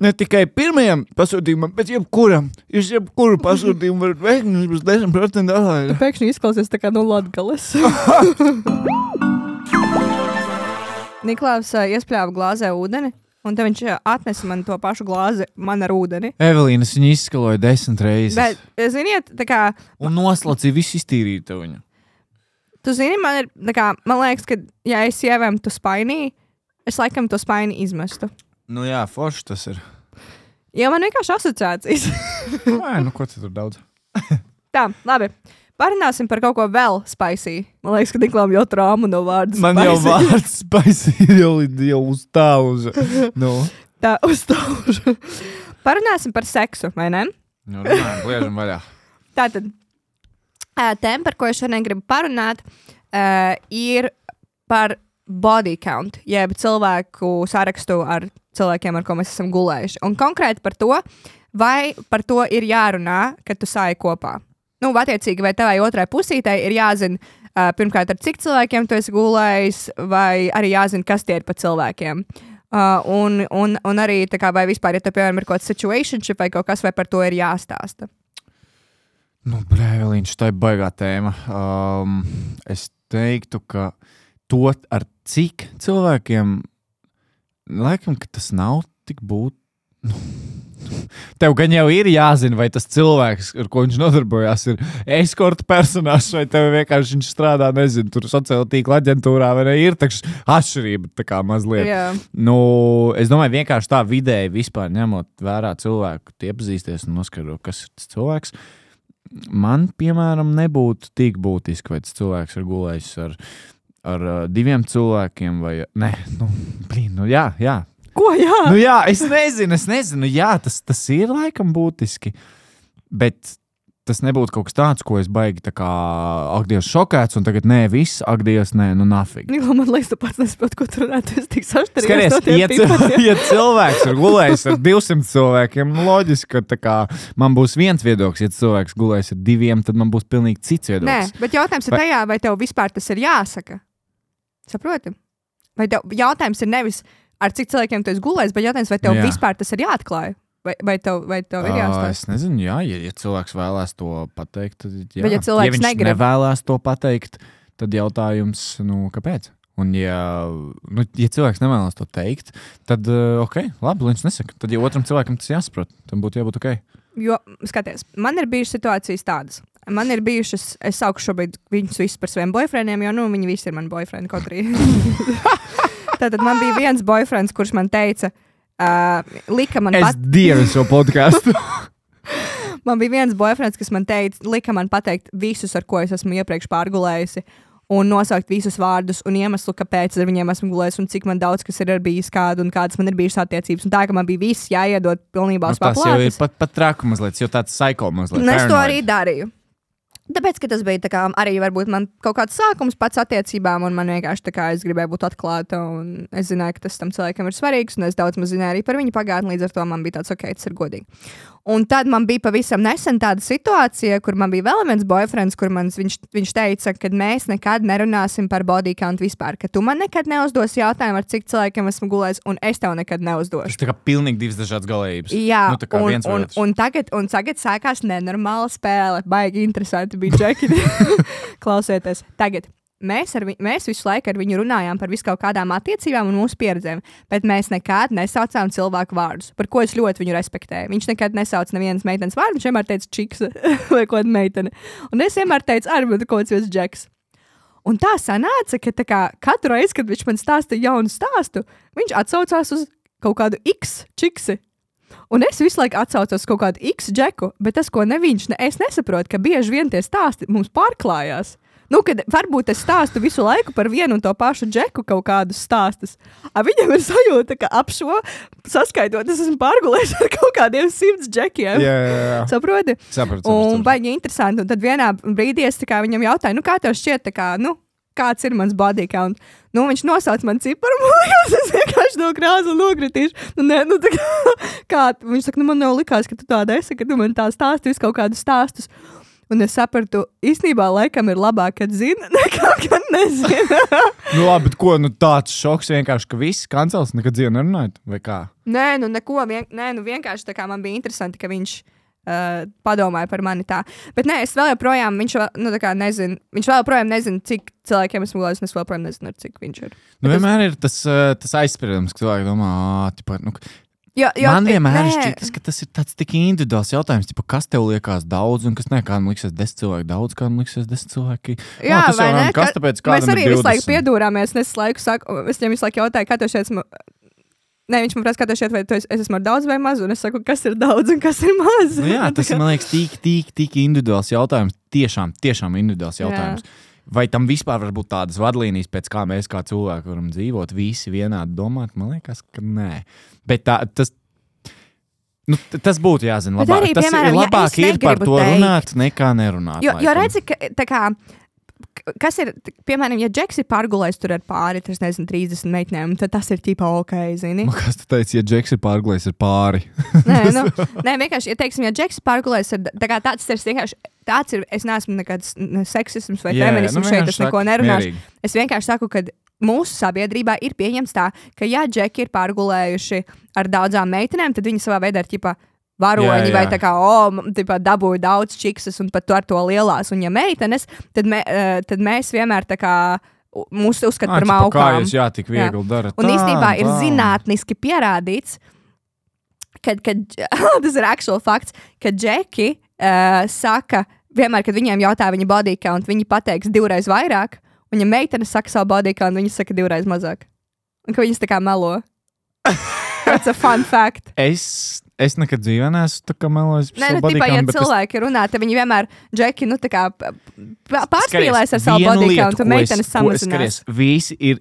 ne tikai pirmajam pasūtījumam, bet jebkuram. Jūs jebkuru pasūtījumu varat veikt, un jūs būs 10% atlaidi. Tu pēkšņi izklausies tā kā no Latgales. Niklaus iespļāva glāzē ūdeni, un te viņš atnesa man to pašu glāzi man ar ūdeni. Evelīnas viņu izskaloja 10 reizes. Bet, ziniet, tā kā... Un noslacīja visu iztīrītu viņu. Tu zini, man ir, tā kā, man liekas, ka, ja es ievēm tu spainī, es laikam to spaini izmestu. Nu jā, forši tas ir. Jo man vienkārši asociācijas. Nē, nu ko tu tur daudz? Tā, labi. Parunāsim par kaut ko vēl spicy. Man liekas, ka Niklām jau trāmu no vārdu spicy. Man jau vārds spicy ir jau uz tāuža. Nu. Tā, uz tāuža. Parunāsim par seksu, vai ne? Nu, runājam, liežam vaļā. Tātad, tēma, par ko es šodien gribu parunāt, ir par body count, jeb cilvēku sarakstu ar cilvēkiem, ar ko mēs esam gulējuši. Un konkrēti par to, vai par to ir jārunā, kad tu sāji kopā. Nu, attiecīgi, vai tevai otrai pusītei ir jāzina, Pirmkārt, ar cik cilvēkiem tu esi gulējis, vai arī jāzina, kas tie ir pa cilvēkiem. Un arī, tā kā, vai vispār, ja te, piemēram, ir kaut kāds situationship vai kaut kas, vai par to ir jāstāsta. Nu, Evelīna, tā ir baigā tēma. Es teiktu, ka to ar cik cilvēkiem, laikam, ka tas nav tik Tev gan jau ir jāzina, vai tas cilvēks, ar ko viņš nodarbojās, ir eskorta personāžs, vai tev vienkārši viņš strādā, nezinu, tur sociāla tīkla aģentūrā, vai ne, ir takš atšķirība tā kā mazliet. Yeah. Nu, es domāju, vienkārši tā vidēji vispār ņemot vērā cilvēku, iepazīsties un noskaidrot, kas ir tas cilvēks. Man, piemēram, nebūtu tik būtiski, vai tas cilvēks ir gulējis ar 2 cilvēkiem, vai, jā. Ko, jā? Nu jā, es nezinu, jā, tas ir laikam būtiski, bet tas nebūtu kaut kas tāds, ko es baigi tā kā, ak, Dievs, šokēts, un tagad viss, ak, Dievs, nu nafig. Man liekas, tu pats nesaproti, ko tu runāt, tu esi tik saštarījies. Skaties, ja cilvēks ir gulējis ar 200 cilvēkiem, loģiski, ka tā kā man būs viens viedoklis, ja cilvēks gulējis ar 2, tad man būs pilnīgi cits viedoklis. Nē, bet jautājums ir tajā, vai tev vispār tas ir jāsaka. Saproti? Vai tev jautājums ir nevis ar cik cilvēkiem tu esi gulējis, bet jautājums, vai tev vispār tas ir jāatklāj? Vai tev ir jāstāsta? Es nezinu, jā, ja cilvēks vēlās to pateikt, tad jā. Bet ja cilvēks viņš nevēlās to pateikt, tad jautājums, kāpēc? Un ja cilvēks nevēlas to teikt, tad ok, labi, viņš nesaka. Tad ja otram cilvēkam tas jāsaprot, tam būtu jābūt ok. Jo, skaties, man ir bijušas situācijas tādas. Man ir bijušas, es saukšu šobrīd viņus visus par saviem boyfriendiem, jo, viņi visi ir mani boyfriend, kaut arī. Tātad man bija viens boyfriends, kurš man teica, lika man Es dievu šo podcastu. Man bija viens boyfriends, kas man teica, lika man pateikt visus, ar ko es esmu iepriekš pārgulējusi, un nosaukt visus vārdus un iemeslu, kāpēc ar viņiem esmu gulējis, un cik man daudz, kas ir bijis kādu, un kādas man ir bijušas attiecības. Un tā, ka man bija viss jāiedod pilnībā uz paplātes. Tas jau ir pat traku mazliet, jo tāds psycho mazliet. Un es to arī darīju. Tāpēc, ka tas bija tā kā, arī varbūt man kaut kāds sākums pats attiecībām, un man vienkārši tā kā es gribēju būt atklāta, un es zināju, ka tas tam cilvēkam ir svarīgs, un es daudz maz zināju arī par viņu pagātni, līdz ar to man bija tāds, ok, tas ir godīgi. Un tad man bija pavisam nesen tāda situācija, kur man bija vēl viens boyfriends, kur viņš teica, ka mēs nekad nerunāsim par body count vispār, ka tu man nekad neuzdos jautājumu, ar cik cilvēkiem esmu gulējis, un es tev nekad neuzdošu. Tas tā kā pilnīgi divas dažādas galējības. Jā, un tagad sākās nenormāla spēle, baigi interesanti bija Džeki. Klausieties, tagad. Mēs visu laiku ar viņu runājām par visu kaut kādām attiecībām un mūsu pieredzēm, bet mēs nekad nesaucām cilvēku vārdus, par ko es ļoti viņu respektēju. Viņš nekad nesauc nevienas meitenes vārdu, viņš vienmēr teica čiksa vai kaut kāda meitene. Un es vienmēr teicu, bet kaut kāds Džeks. Un tā sanāca, ka tā kā, katru reizi, kad viņš man stāstīja jaunu stāstu, viņš atsaucās uz kaut kādu X čiksi. Un es visu laiku atsaucos uz kaut kādu X Džeku, bet tas, ko es nesaprotu, ka bieži vien tie stāsti mums pārklājās. Kad varbūt es stāstu visu laiku par vienu un to pašu Džeku kaut kādus stāstus. Viņam ir sajūta, ka ap šo saskaitot, es esmu pārgulējis ar kaut kādiem 100 Džekiem. Jā. Saproti? Sapratu. Un baigi interesanti. Un tad vienā brīdī es tā kā viņam jautāju, kā tev šķiet, tā kā, kāds ir mans body count? Viņš nosauc man ciparu, man liekas, es vienkārši no krāsa nokritīšu. Viņš saka, man jau likās, ka tu tāda esi, ka tu man tā stāsti visu kaut kādus stāstus. Un es sapratu, īstenībā laikam ir labāk, kad zina, nekā kad nezina. Labi, bet ko, tāds šoks vienkārši, ka viss kancels nekad dzīvi nerunājot, vai kā? Nē, neko, vienkārši tā kā man bija interesanti, ka viņš padomāja par mani tā. Bet nē, es vēl joprojām, viņš vēl joprojām nezina, cik cilvēkiem esmu gulējis, un es vēl joprojām nezinu, cik viņš ir. Vienmēr ir tas aizspriedums, ka cilvēki domā, man vienmēr šķitas, ka tas ir tāds tik individuāls jautājums, kas tev liekas daudz, un kas kādam liksies 10 cilvēki daudz, kādam liksies 10 cilvēki. Jā, tas vai ne? Kas tāpēc kādam mēs arī ir 20? Visu laiku piedūrāmies, es viņam visu laiku jautāju, kā tev šeit esmu... Nē, viņš man prasa, kā tev šeit, vai es esmu ar daudz vai maz, un es saku, kas ir daudz un kas ir maz. Jā, tas ir, man liekas, tik individuāls jautājums, tiešām individuāls jautājums. Jā. Vai tam vispār var būt tādas vadlīnijas, pēc kā mēs kā cilvēki varam dzīvot, visi vienādi domāt? Man liekas, ka nē. Bet tas būtu jāzina labāk. Arī, tas piemēram, ir labāk ir par to runāt, nekā nerunāt. Jo redzi, ka tā kā kas ir, piemēram, ja Džeks ir pārgulējis tur ar pāri, 30 meitenēm, tad tas ir tīpā ok, zini? Kas tu teici, ja Džeks ir pārgulējis ar pāri? Nē, vienkārši, ja teiksim, ja Džeks ir pārgulējis ar, tā kā tāds ir vienkārši, tāds ir, es neesmu nekāds seksisms vai feminisms šeit, es neko nerunāšu. Es vienkārši saku, ka mūsu sabiedrībā ir pieņemts tā, ka ja Džeki ir pārgulējuši ar daudzām meitenēm, tad viņi savā veidā ir ķipā varoņi vai tā kā, dabūja daudz čiksas un pat tu ar to lielās. Un ja meitenes, tad mēs vienmēr tā kā mūs uzskat par maukām. Jā, tik viegli dara. Un īstenībā ir zinātniski pierādīts, kad tas ir actual fakts, ka Džeki saka, vienmēr, kad viņiem jautā viņa body count, viņi pateiks 2 reizes vairāk. Un ja meitenes saka savu body count, viņas saka 2 reizes mazāk. Un ka viņas tā kā melo. That's a fun fact. Es nekad dzīvē neesmu tā kā melojis. Nē, body count, ja cilvēki runā, tad viņi vienmēr, Džeki, tā kā pārspīlēs ar savu body count, un meitenes samazinās. Visi ir,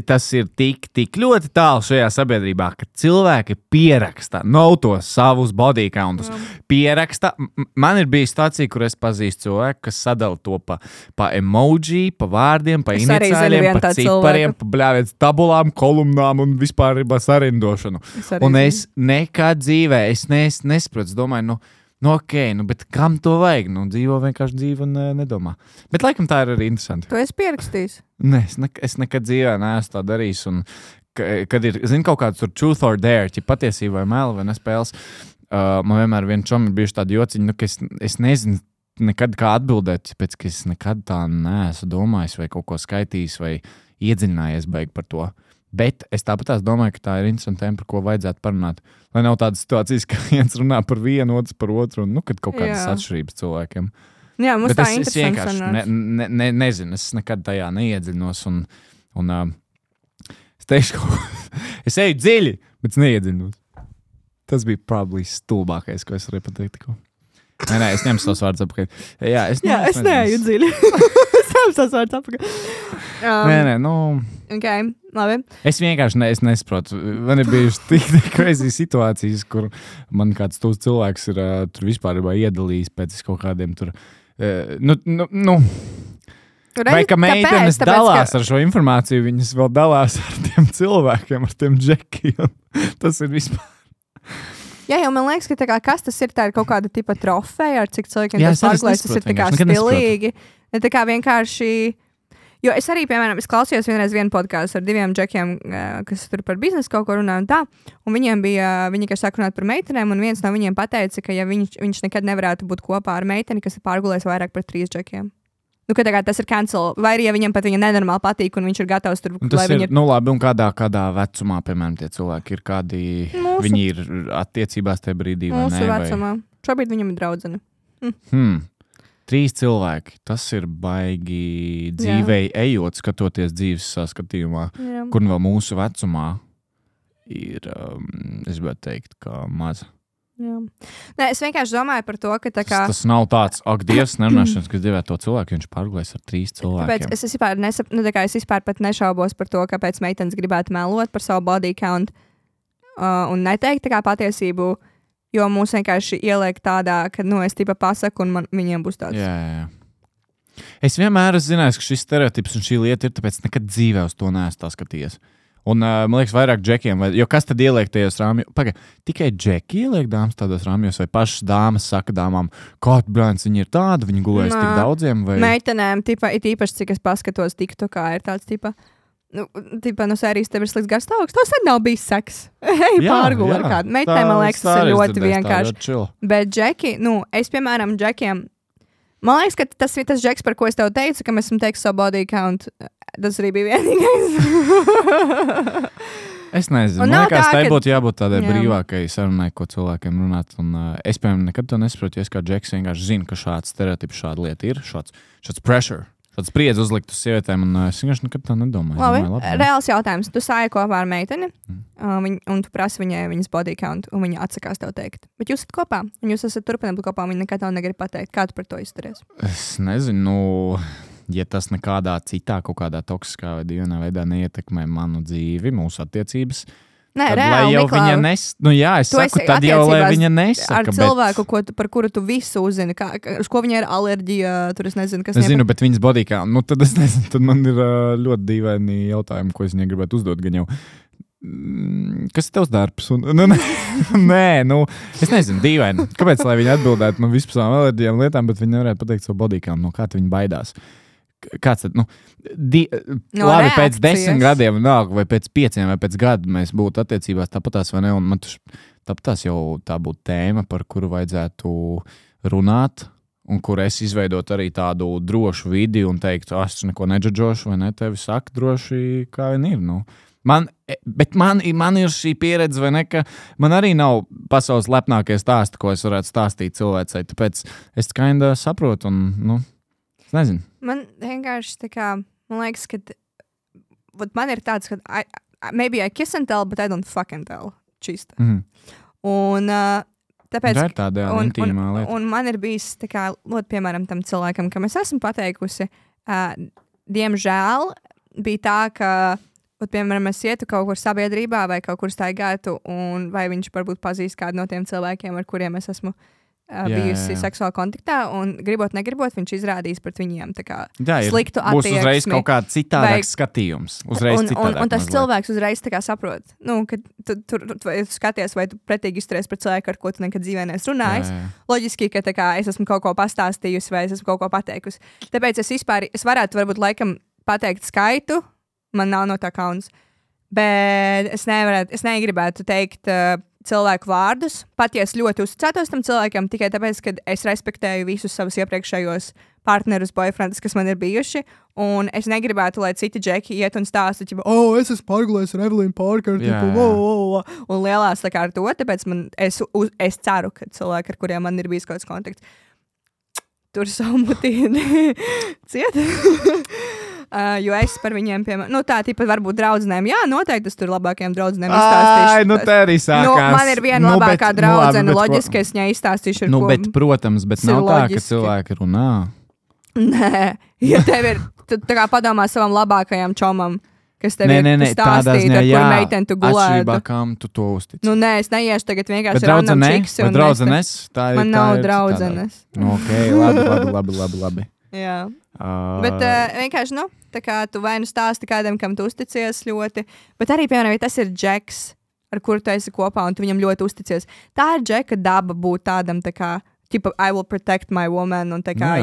tas ir tik ļoti tālu šajā sabiedrībā, ka cilvēki pieraksta, to savus body countus. Pieraksta. Man ir bijis situācija, kur es pazīstu cilvēku, kas sadala to pa emoji, pa vārdiem, pa iniciāļiem, pa cipariem, pa bļāviet tabulām, kolumnām un vispār sarindošanu. Un es nekad dzīvē, es nesaprotu, domāju, ok, bet kam to vajag? Dzīvo vienkārši dzīvo un nedomā. Bet laikam tā ir arī interesanti. Tu esi pierakstījis? Nē, es nekad dzīvē neesmu tā darījis. Un, kad ir, kaut kāds tur truth or dare, ja patiesība vai meli vai nespēles, man vienmēr vien čom ir bijuši tādi jociņi, ka es nezinu nekad kā atbildēt, pēc ka es nekad tā neesmu domājis vai kaut ko skaitījis vai iedziļinājies baigi par to. Bet es tāpat domāju, ka tā ir interesanta tēma, par ko vajadzētu parunāt. Lai nav tādas situācijas, ka viens runā par vienu, otrs par otru, un kad kaut kādas atšķirības cilvēkiem. Jā, mums bet tā interesanti. Es vienkārši nezinu, es nekad tajā neiedziļinos. Un es teikšu, es eju dziļi, bet es neiedziļinos. Tas bija probably stulbākais, ko es varēju pateikt tikko. Nē, es ņemu savus vārdus apakaļ. Jā, es neeju dziļi. Es ņemu savus vārdus apakaļ. Nē, Okay, labi. Es vienkārši nesaprotu. Man ir bijušas tik crazy situācijas, kur man kāds tūs cilvēks ir tur vispār iedalījis pēc kaut kādiem tur. Vai ka meitenes dalās ar šo informāciju, viņas vēl dalās ar tiem cilvēkiem, ar tiem džekiem. Tas ir vispār. Jā, jau man liekas, ka kas tas ir, tā ir kaut kāda tipa trofeja, ar cik cilvēkiem tas pārklājas, tas ir tā kā stilīgi. Ne tā kā vienkārši. Jo es arī, piemēram, klausījos vienreiz vienu podkāstu ar 2 džekiem, kas tur par biznesu kaut ko runā un tā, un viņi kā sāk runāt par meitenēm, un viens no viņiem pateica, ka ja viņš nekad nevarētu būt kopā ar meiteni, kas ir pārgulējis vairāk par 3 džekiem. Ka tā kā tas ir cancel, vai arī ja viņam pat viņa nenormāli patīk, un viņš ir gatavs tur, lai viņi ir. Labi, un kādā vecumā, piemēram, tie cilvēki ir kādi, viņi ir attiecībās tajā brīdī, vai ne? Mūsu vecumā. Šobrīd viņam ir draudzene. 3 cilvēki. Tas ir baigi dzīvei ejot, skatoties dzīves saskatījumā, kur vēl mūsu vecumā ir, es gribētu teikt, kā maza. Jā. Nē, es vienkārši domāju par to, ka tā kā. Tas nav tāds, Dievs, nerunāšanas, kas dzīvē to cilvēku, viņš pārgulēs ar 3 cilvēkiem. Tāpēc es vispār pat nešaubos par to, kāpēc meitenes gribētu melot par savu body count un neteikt tā kā patiesību. Jo mūs vienkārši ieliek tādā, ka, es tipa pasaku, un viņiem būs tāds. Jā. Es vienmēr esmu zinājis, ka šis stereotips un šī lieta ir, tāpēc nekad dzīvē uz to neesmu tā skatījies. Un, man liekas, vairāk džekiem, jo kas tad ieliek tajos rāmjos? Tikai džeki ieliek dāmas tādos rāmjos, vai pašas dāmas saka dāmām, kāda brāns viņi ir tāda, viņi gulēs tik daudziem? Vai... Meitenēm, īpaši, cik es paskatos TikTokā, ir tāds, no sērijas tev ir slikts garstāvoklis, tas arī nav bijis seks. Pārguli ar kādu. Meitenēm, man liekas, tas ir ļoti vienkārši. Bet džeki, es, piemēram, džekiem, man liekas, ka tas ir tas džeks, par ko es tev teicu, ka mēs esam teiks savu body count. Tas arī bija vienīgais. Es nezinu. Man liekas, tai būtu jābūt tādai brīvākai sarunai, ko cilvēkiem runāt. Un, es, piemēram, nekad to nesaprotu, ja es kā džeks vienkārši zinu, ka šāds stereotips, šāda lieta ir, šāds pressure. Šāds spriedzi uzlikt uz sievietēm, un es vienkārši nekad tā nedomāju. Labi, reāls jautājums. Tu sāji kopā ar meiteni, un tu prasi viņai viņas body count, un viņa atsakās tev teikt. Bet jūs esat kopā, un jūs esat turpināt kopā, un viņa nekad tev negrib pateikt. Kā tu par to izturies? Es nezinu, ja tas nekādā citā, kaut kādā toksiskā vai dīvainā veidā neietekmē manu dzīvi, mūsu attiecības, Nē, tad, reāli, lai jau Niklā, viņa nu jā, es tu saku, esi tad jau, lai attiecībās viņa nesaka. ar cilvēku, par kuru tu visu uzzini, uz ko viņai ir alerģija, tur es nezinu, kas Es zinu, bet viņas bodykā, nu tad es nezinu, tad man ir ļoti dīvaini jautājumi, ko es viņai gribētu uzdot, gan jau. Kas ir tavs darbs? Nē, nu, es nezinu, dīvaini. Kāpēc, lai viņi atbildētu man vispār alerģijām lietām, bet viņi nevarētu pateikt savu bodykām, no kā viņi baidās? Kāds tad, no labi, pēc reakcijas. 10 gadiem, vai pēc 5 vai pēc gada mēs būtu attiecībās tāpatās vai ne, un man tāpatās jau tā būtu tēma, par kuru vajadzētu runāt, un kur es izveidot arī tādu drošu vidi un teikt, es neko nedžadžošu, vai ne, tevi saka droši, kā vien ir, nu. Bet man ir šī pieredze, vai ne, ka man arī nav pasaules lepnākie stāsti, ko es varētu stāstīt cilvēcei, tāpēc es kinda saprotu un, es nezinu. Man vienkārši tā kā, man liekas, ka man ir tāds, ka maybe I kiss and tell, but I don't fucking tell. Čista. Un tāpēc... Tā ir tāda intīmā lieta. Un man ir bijis tā kā, piemēram, tam cilvēkam, kam es esmu pateikusi, diemžēl bija tā, ka piemēram, es ietu kaut kur sabiedrībā vai kaut kur staigātu, un vai viņš varbūt pazīst kādu no tiem cilvēkiem, ar kuriem es esmu bijusi seksuāli kontaktā, un gribot, negribot, viņš izrādīs pret viņiem tā kā sliktu attieksmi. Būs uzreiz kaut kāds citādāks skatījums. Un tas cilvēks uzreiz tā kā saprot, ka tu skaties, vai tu pretīgi izturies pret cilvēku, ar ko tu nekad dzīvē neesi runājis. Loģiski, ka tā kā es esmu kaut ko pastāstījusi vai es esmu kaut ko pateikusi. Tāpēc es varētu varbūt laikam pateikt skaitu, man nav no tā kauns, bet es negribētu teikt cilvēku vārdus, pat ja es ļoti uzticētos tam cilvēkam, tikai tāpēc, ka es respektēju visus savus iepriekšējos partnerus, boyfriendus, kas man ir bijuši, un es negribētu, lai citi džeki iet un stāsta, es esmu pārgulējis ar Evelīnu Parkeru, un lielās tā kā ar to, tāpēc es ceru, ka cilvēki, ar kuriem man ir bijis kaut kāds kontakts, tur savu mutīni ciet. Jo es par viņiem, piemēram, tā tīpat varbūt draudzenēm, noteikti es tur labākajām draudzenēm izstāstīšu. Te arī sākās. Man ir viena labākā draudzene, loģiski es viņai izstāstīšu, ar ko. Bet, protams, bet nav tā, ka cilvēki runā. Nē, ja tev ir, tu tā kā padomā savam labākajam čomam, kas tev ir stāstīt, ar kur meiteni tu gulētu. Atšķirībā, kam tu to uztici. Nē, es neiešu tagad vienkārši random čiksi. Bet draudzenes? Man nav draudzenes. Labi. Jā. Bet vienkārši, tā kā tu vai nu stāsti kādam, kam tu uzticies ļoti, bet arī, piemēram, ja tas ir džeks, ar kuru tu esi kopā un tu viņam ļoti uzticies, tā ir džeka daba būt tādam, tā kā, I will protect my woman, un tā kā,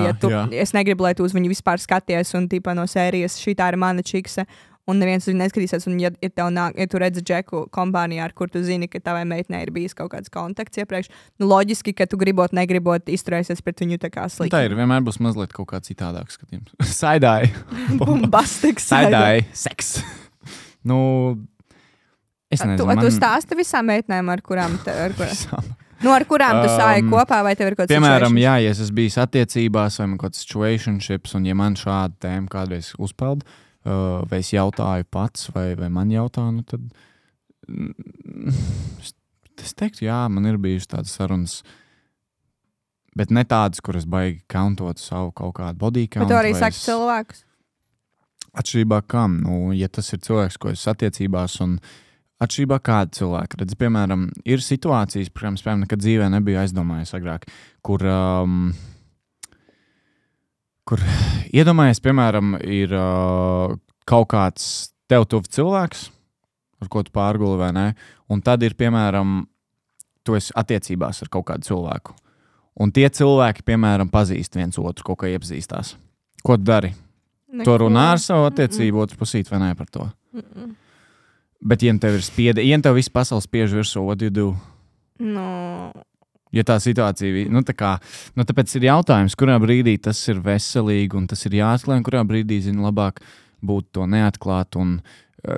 es negribu, lai tu uz viņu vispār skaties, un tīpa no sērijas, šī tā ir mana čikse, un neviens uz viņu neskatīsies, un ja tu redzi džeku kompānijā, ar kur tu zini, ka tavai meitnei ir bijis kaut kāds kontakts iepriekš, loģiski, ka tu gribot, negribot izturēsies pret viņu tā kā slikti. Tā ir, vienmēr būs mazliet kaut kā citādāk skatījums. Saidāji. Bombastiks. Saidāji. Seks. Es nezinu. Tu stāsti visām meitnēm, ar kurām ar kurām tu sāji kopā, vai tev ir kaut kāds piemēram, ja es esmu bijis attiecībās, vai man kaut kāds situationships, un ja man šāda tēma kādreiz uzpeld, vai es jautāju pats, vai man jautā, tad es teiktu, man ir bijušas tādas sarunas, bet ne tādas, kuras baigi kauntot savu kaut kādu body count. Bet tu arī saki cilvēkus? Atšķirībā kam? Ja tas ir cilvēks, ko es attiecībās, un atšķirībā kāda cilvēka. Redz, piemēram, ir situācijas, piemēram, nekad dzīvē nebija aizdomājies agrāk, kur iedomājies, piemēram, ir kaut kāds tev tuvu cilvēks, ar ko tu pārguli vai ne, un tad ir, piemēram, tu esi attiecībās ar kaut kādu cilvēku. Un tie cilvēki, piemēram, pazīst viens otru, kaut kā iepazīstās. Ko tu dari? Tu runā ar savu attiecību otru pusīt vai ne par to? Bet, ja tev ir ja tev viss pasaules spiež virsū, what do you do? Ja tā situācija, tāpēc ir jautājums, kurā brīdī tas ir veselīgi un tas ir jāatklāj, un kurā brīdī, labāk būt to neatklāt un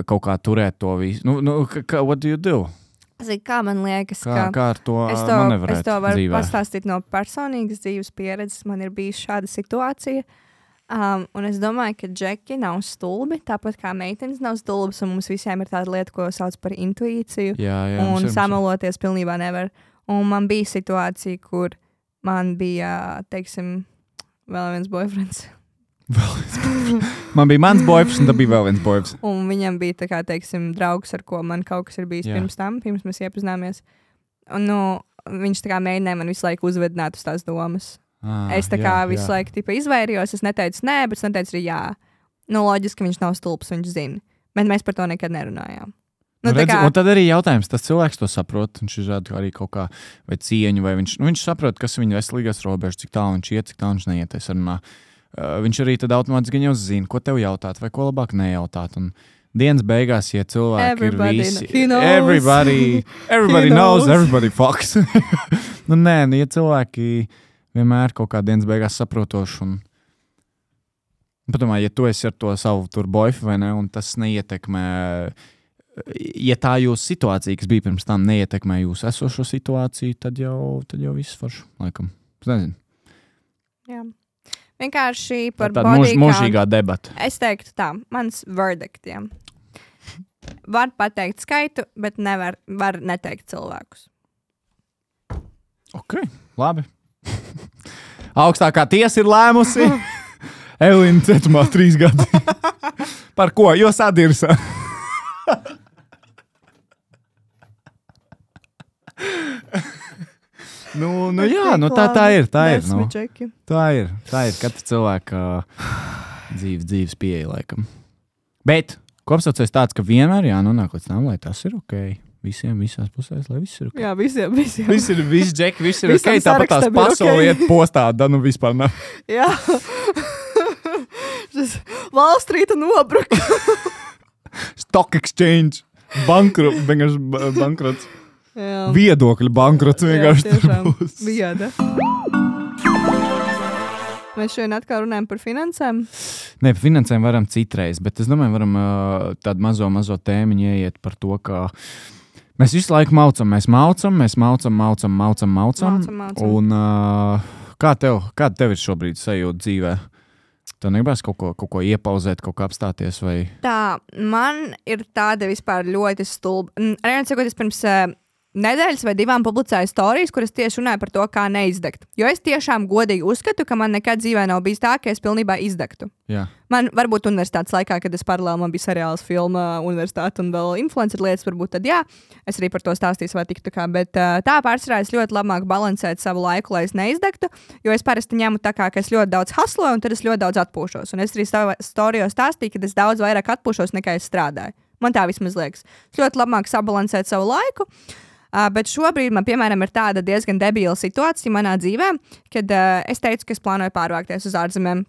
kaut kā turēt to visu. What do you do? Kā man liekas, kā ar to manevrēt es to varu dzīvē? Pastāstīt no personīgas dzīves pieredzes. Man ir bijis šāda situācija. Un es domāju, ka džeki nav stulbi, tāpat kā meitenes nav stulbas, un mums visiem ir tāda lieta, ko sauc par intuīciju. Un samaloties pilnībā nevar. Un man bija situācija, kur man bija, teiksim, vēl viens boyfriends. Man bija mans boyfriends, un tad bija vēl viens boyfriends. Un viņam bija, tā kā, teiksim, draugs, ar ko man kaut kas ir bijis pirms mēs iepazināmies. Un, viņš tā kā mēģināja man visu laiku uzvedināt uz tās domas. Es tā kā visu laiku tipa izvairījos, es neteicu nē, bet es neteicu arī jā. Loģiski viņš nav stulbs, viņš zina. Bet mēs par to nekad nerunājām. Redzi, un tad arī jautājums, tas cilvēks to saprot, viņš izrāda arī kaut kā vai cieņu, vai viņš saprot, kas ir viņa veselīgās robežas, cik tālu viņš iet, cik tālu viņš neiet, es runā. Viņš arī tad automātiski jau zina, ko tev jautāt, vai ko labāk nejautāt. Un dienas beigās, ja cilvēki ir visi... Everybody knows, everybody fucks. Ja cilvēki vienmēr kaut kā dienas beigās saprotoši un... Padomā, ja tu esi ar to savu tur boyfi, vai ne, un tas neietekmē... Ja tā jūsu situācija, kas bija pirms tam, neietekmē jūsu esošo situāciju, tad jau viss forši, laikam. Es nezinu. Jā. Vienkārši par tāda mūžīgā debata. Es teiktu tā, mans verdiktiem. Var pateikt skaitu, bet var neteikt cilvēkus. Ok, labi. Augstākā tiesa ir lēmusi. Elīna cietumā 3 gadi. Par ko? Jo sadirsa. Jā, tā ir. Tā ir. Katra cilvēka dzīves pieeja, laikam. Bet kopsaucējs tāds, ka vienmēr jānonāk līdz tam, lai tas ir ok. Visiem, visās pusēs, lai viss ir ok. Jā, visiem. Visi ir ok. Tāpat tās pasauli iet postā, vispār nav. Jā. Wall Street nobruka. Stock exchange. Bankrots. Jā. Viedokļu bankrots vienkārši tur būs. Vieda. Mēs šodien atkal runājam par finansēm? Nē, par finansēm varam citreiz, bet es domāju, varam tādu mazo tēmiņu ieiet par to, ka mēs visu laiku maucam. Un kāda tev ir šobrīd sajūta dzīvē? Tev negribas kaut ko iepauzēt, kaut ko apstāties? Vai? Tā, man ir tāda vispār ļoti stulba. Arī es pirms nedēļas vai 2 publicēju storijas, kuras tieši runāju par to, kā neizdegt. Jo es tiešām godīgi uzskatu, ka man nekad dzīvē nav bijis tā, ka es pilnībā izdegtu. Jā. Man varbūt universitātes laikā, kad es paralēli man bija seriāls, filma, universitāte un vēl influencer lietas, varbūt tad jā. Es arī par to stāstīju vai tiktu kā, bet tā pārsvarā es ļoti labāk balansēt savu laiku, lai es neizdegtu, jo es parasti ņemu tā kā, ka es ļoti daudz hasloju un tad es ļoti daudz atpūšos. Un es arī storijos stāstīju, ka es daudz vairāk atpūšos nekā es strādāju. Man tā vismaz liekas. Es ļoti labāk sabalansēt savu laiku. Bet šobrīd man, piemēram, ir tāda diezgan debila situācija manā dzīvē, kad es teicu, ka es plānoju pārvākties uz ārzemēm.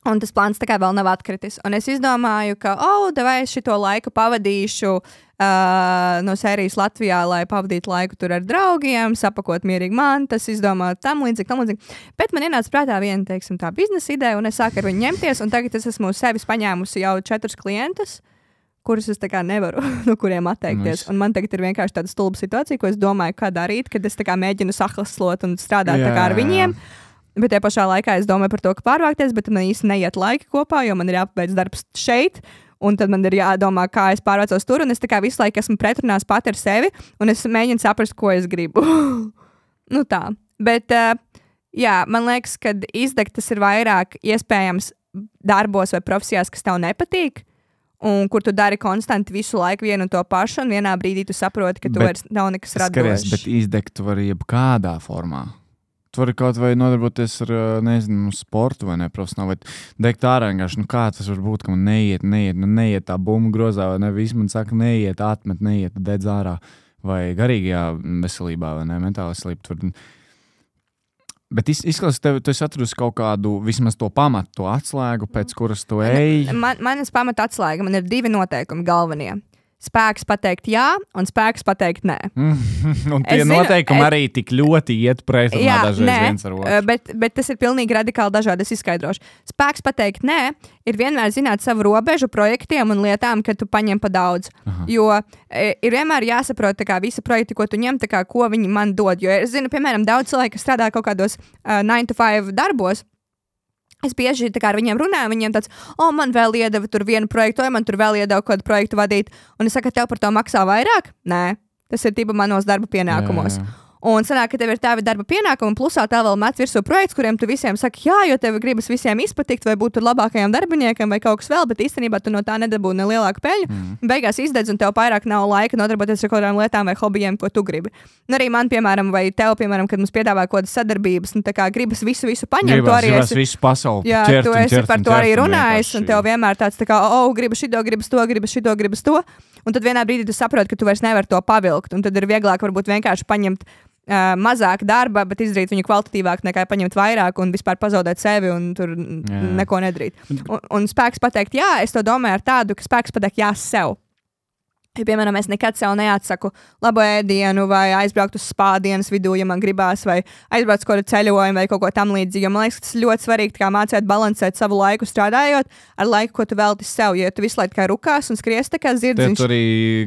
Un tas plāns tā kā vēl nav atkritis. Un es izdomāju, ka, vai es šito laiku pavadīšu no sērijas Latvijā, lai pavadītu laiku tur ar draugiem, sapakot mierīgi mantas, izdomāt tam līdzīgi. Bet man ienāca prātā viena, teiksim, tā biznesa ideja, un es sāku ar viņu ņemties, un tagad es esmu sevis paņēmusi jau 4 klientus, kurus es tā kā nevaru no kuriem atteikties. Un man tagad ir vienkārši tāda stulba situācija, ko es domāju, kā darīt, kad es tā kā mēģinu sahlaslot un strādāt tā kā ar viņiem. Bet tajā pašā laikā es domāju par to, ka pārvākties, bet man īsti neiet laiki kopā, jo man ir jāpabeidz darbs šeit, un tad man ir jādomā, kā es pārvācos tur, un es tā kā visu laiku esmu pretrunās pati ar sevi, un es mēģinu saprast, ko es gribu. Tā. Bet, man liekas, ka izdegt tas ir vairāk iespējams darbos vai profesijās, kas tev nepatīk, un kur tu dari konstanti visu laiku vienu un to pašu, un vienā brīdī tu saproti, ka tu vairs nav nekas radošs. Bet izdegt tu vari jebkādā formā. Tu vari kaut vai nodarboties ar, sportu vai ne, profesionāli, vai degt ārā vienkārši, kā tas var būt, ka man neiet tā bumba grozā, vai ne, viss man saka, neiet, atmet, neiet, dedz ārā, vai garīgajā veselībā, vai ne, mentāli veselība. Bet izskatās, ka tu esi atradusi kaut kādu, vismaz to pamatu, to atslēgu, pēc kuras tu ej. Manas pamata atslēga, man ir 2 noteikumi galvenie. Spēks pateikt jā, un spēks pateikt nē. Un tie noteikumi arī tik ļoti iet pretrunā dažreiz viens ar otru. Bet tas ir pilnīgi radikāli dažādi, es izskaidrošu. Spēks pateikt nē ir vienmēr zināt savu robežu projektiem un lietām, kad tu paņem pa daudz. Aha. Jo ir vienmēr jāsaprot kā visi projekti, ko tu ņem, kā, ko viņi man dod. Jo es zinu, piemēram, daudz cilvēku, kas strādā kaut kādos 9-to-5 darbos. Es bieži ar viņiem runāju, viņiem tāds, man vēl iedeva tur vienu projektu, vai man tur vēl iedeva kādu projektu vadīt. Un es saku, tev par to maksā vairāk? Nē, tas ir manos darba pienākumos. Jā. Un sanāk, ka tev ir tavi darba pienākumi, plusā tev vēl met virsū projekts, kuriem tu visiem saki, jā, jo tev gribas visiem izpatikt, vai būt tur labākajiem darbiniekiem, vai kaut kas vēl, bet īstenībā tu no tā nedabūji ne lielāku peļņu. Beigās izdedz, un tev vairāk nav laika nodarboties ar kaut kādām lietām vai hobijiem, ko tu gribi. Un arī man, piemēram, vai tev, piemēram, kad mums piedāvā kaut kādas sadarbības, un tā kā gribas visu paņemt, tu arī esi visu pasauli. Jā, tu esi par to arī runājis, un tev vienmēr tāds tā kā, gribas šito, gribas to. Un tad vienā brīdī tu saproti, ka tu vairs nevari to pavilkt, un tad ir vieglāk varbūt vienkārši paņemt mazāk darba, bet izdarīt viņu kvalitatīvāk nekā paņemt vairāk un vispār pazaudēt sevi un tur neko nedarīt. Un spēks pateikt, jā, es to domāju ar tādu, ka spēks pateikt jā sev. Ja, piemēram, es nekad sev neatsaku labu ēdienu vai aizbraukt uz spā dienas vidū, ja man gribās, vai aizbraukt uz kādu ceļojumu vai kaut ko tam līdzīgu. Jo man liekas, tas ļoti svarīgi kā mācīt balansēt savu laiku strādājot ar laiku, ko tu veltīsi sev. Jo tu visu laiku kā rukās un skries tā kā zirdziņš. Tu arī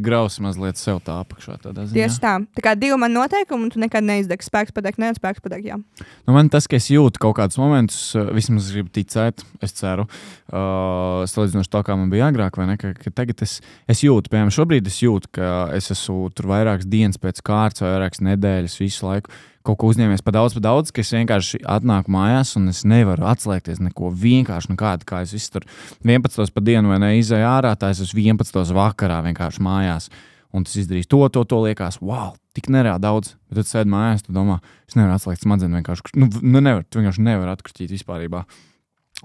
grausi mazliet sev tā apakšā tādā ziņā. Tieši tā. Tā kā 2 man noteikumi un tu nekad neizdegs. Spēks pateikt nē, spēks pateikt jā. Nu, man tas, ka es jūtu kaut kādus momentus, vismaz gribu ticēt, es ceru, salīdzinoši to, kā man bija agrāk, vai ne, ka tagad es jūtu, piemēram, šobrīd es jūtu, ka es esmu tur vairākas dienas pēc kārtas vai vairākas nedēļas visu laiku kaut ko uzņēmies pa daudz, ka es vienkārši atnāku mājās un es nevaru atslēgties neko vienkārši nekādu, kā es visu tur 11 pa dienu vai ne izēju ārā, tā es esmu 11 vakarā vienkārši mājās. Un tas izdarīs to liekas, wow, tik nereāli daudz. Bet tad sēd mājās, tu domā, es nevaru atslēgt smadzeni vienkārši. Tu vienkārši nevar atkristīt vispārībā.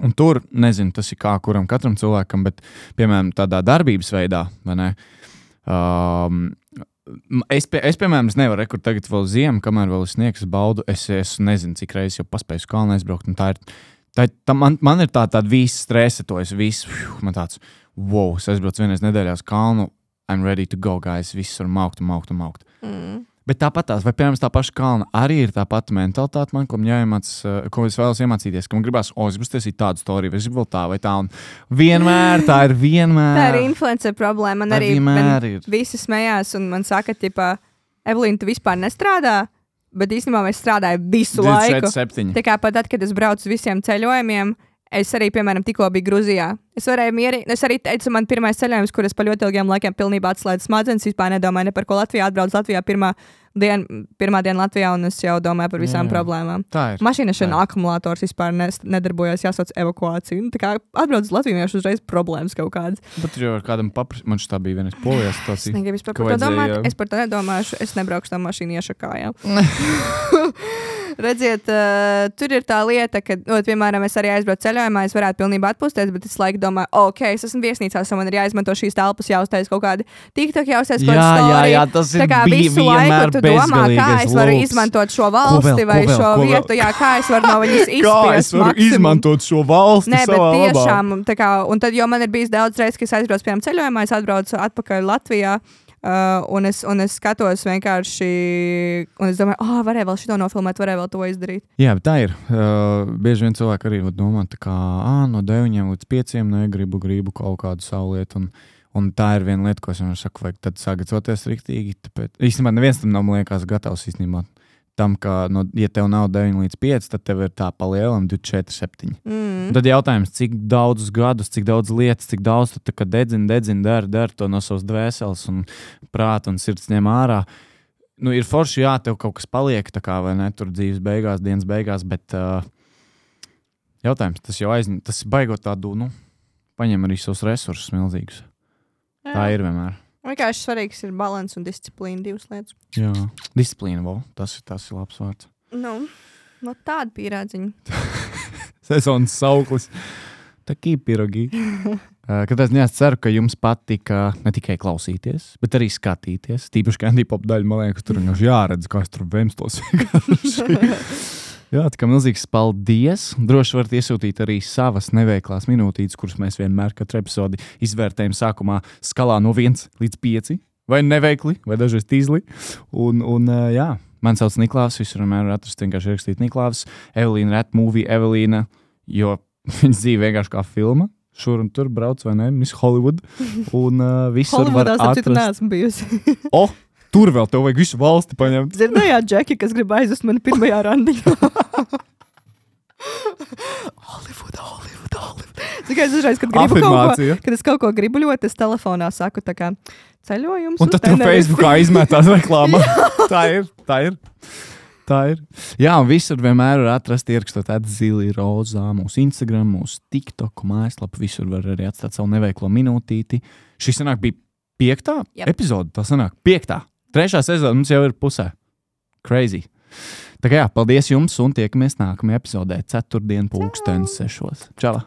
Un tur, nezinu, tas ir kā katram cilvēkam, bet, piemēram, tādā darbības veidā, vai ne? Es piemēram, nevaru rekur tagad vēl ziemu, kamēr vēl es sniegs baudu. Es nezinu, cik reizes jau paspēju uz kalnu aizbraukt. Man ir tāda visa stresa, to es visu, man tāds, wow, es aizbraucu vienreiz nedēļā uz kalnu, I'm ready to go, guys, viss var maukt. Bet tāpat vai piemēram tā paša kalna arī ir tā pati mentalitāte man, ko es vēlos iemācīties, ka man gribās, es gribu taisīt tādu storiju, vai es gribu vēl tā vai tā, un vienmēr tā ir. Tā ir influencer problēma, man arī visi smējās, un man saka, Evelīna, tu vispār nestrādā, bet īstenībā es strādāju visu laiku. 27. Tā kā pat tad, kad es braucu uz visiem ceļojumiem, es arī, piemēram, tikko biju Gruzijā. Es arī teicu, man pirmais ceļojums, kur es pa ļoti ilgiem laikiem pilnībā atslēdzu smadzenes, vispār nedomāju ne par ko Latvijā, atbraucu Latvijā pirmā diena Latvijā, un es jau domāju par visām problēmām. Mašīnašana akumulators vispār nedarbojās, jāsauc evakuāciju. Tā kā atbraucu uz Latviju, jau uzreiz problēmas kaut kādas. Bet jau ar kādam man šitā bija vienreiz Polijā situācija. Es negribu par to domāt, es par to nedomāšu, es nebraukšu tā mašīnu iešakājā. Redziet, tur ir tā lieta, ka, piemēram, es arī aizbraucu ceļojumā, es varētu pilnībā atpūsties, bet es laiku domāju, es esmu viesnīcās, un man ir jāizmanto šīs telpas, jāuztais kaut kādi TikTok, jāuztais kaut kādi storija. Jā, tas ir visu laiku tu domā, kā es varu izmantot šo valsti vai šo vietu, kā es varu no viņas izspiest maksimumu. Kā es varu izmantot šo valsti savā labā? Nē, bet tiešām, un tad, jo man ir bijis daudz reizes, ka es aizbraucu, piemēram, ceļojumā, es atbraucu atpakaļ Latvijā, un es skatos vienkārši, un es domāju, varēja vēl šito nofilmēt, varēja vēl to izdarīt. Jā, bet tā ir. Bieži vien cilvēki arī domā, tā kā no 9 līdz 5 negribu kaut kādu savu lietu, un tā ir viena lieta, ko es vienmēr saku, vajag tad sagatavoties riktīgi. Tāpēc, īstenībā neviens tam nav, man liekas, gatavs īstenībā. Tam, ka, ja tev nav 9 līdz 5, tad tev ir tā palielam 24, 7. Tad jautājums, cik daudzus gadus, cik daudz lietas, cik daudz tu tā kā dedzini, dari to no savas dvēseles un prāta un sirds ņem ārā. Ir forši, tev kaut kas paliek, tā kā, vai ne, tur dzīves beigās, dienas beigās, bet jautājums, tas jau tas baigot tādu, paņem arī savus resursus milzīgus. Jā. Tā ir vienmēr. Vienkārši svarīgs ir balans un disciplīna, 2 lietas. Jā, disciplīna, tas ir labs vārds. Tāda pierādziņa. Sezonas sauklis. Takī pirogī. Katrā ziņā es ceru, ka jums patika ne tikai klausīties, bet arī skatīties. Tīpaši Candy Pop daļa, man liekas, tur vienkārši jāredz, kā es tur vemstos vienkārši. Jā, tā kā milzīgs paldies. Droši varat iesūtīt arī savas neveiklās minūtītes, kuras mēs vienmēr katru epizodi izvērtējam sākumā skalā no 1 līdz 5. Vai neveikli, vai dažreiz tīzli. Un jā, man sauc Niklāvs, visur vienmēr atrast vienkārši ierakstīt Niklāvs. Evelīna Rat Movie, Evelīna, jo viņas dzīve vienkārši kā filma. Šur un tur brauc, vai ne? Miss Hollywood. Un visur var atrast. Hollywoodās neesmu bijusi. Tur vēl tev vajag visu valsti paņemt. Dzirdējāt, Džeki, kas grib aizvest mani pirmajā randiņā? Hollywood. Tikai es dažreiz, kad gribu Afirmācija. kad es kaut ko gribu ļoti, es telefonā saku tā kā ceļojums. Un tad tu Facebookā izmetās reklāmā. Tā ir. Jā, un visur vienmēr var atrast ierakstot Zili Rozā, mūsu Instagram, mūsu TikTok mājaslapu. Visur var arī atstāt savu neveiklo minūtīti. Šis sanāk bija 5. epizode. Tā sanāk 5. 3. sezona mums jau ir pusē. Crazy. Tā kā jā, paldies jums un tiekamies nākamajā epizodē 4. 6. Čau!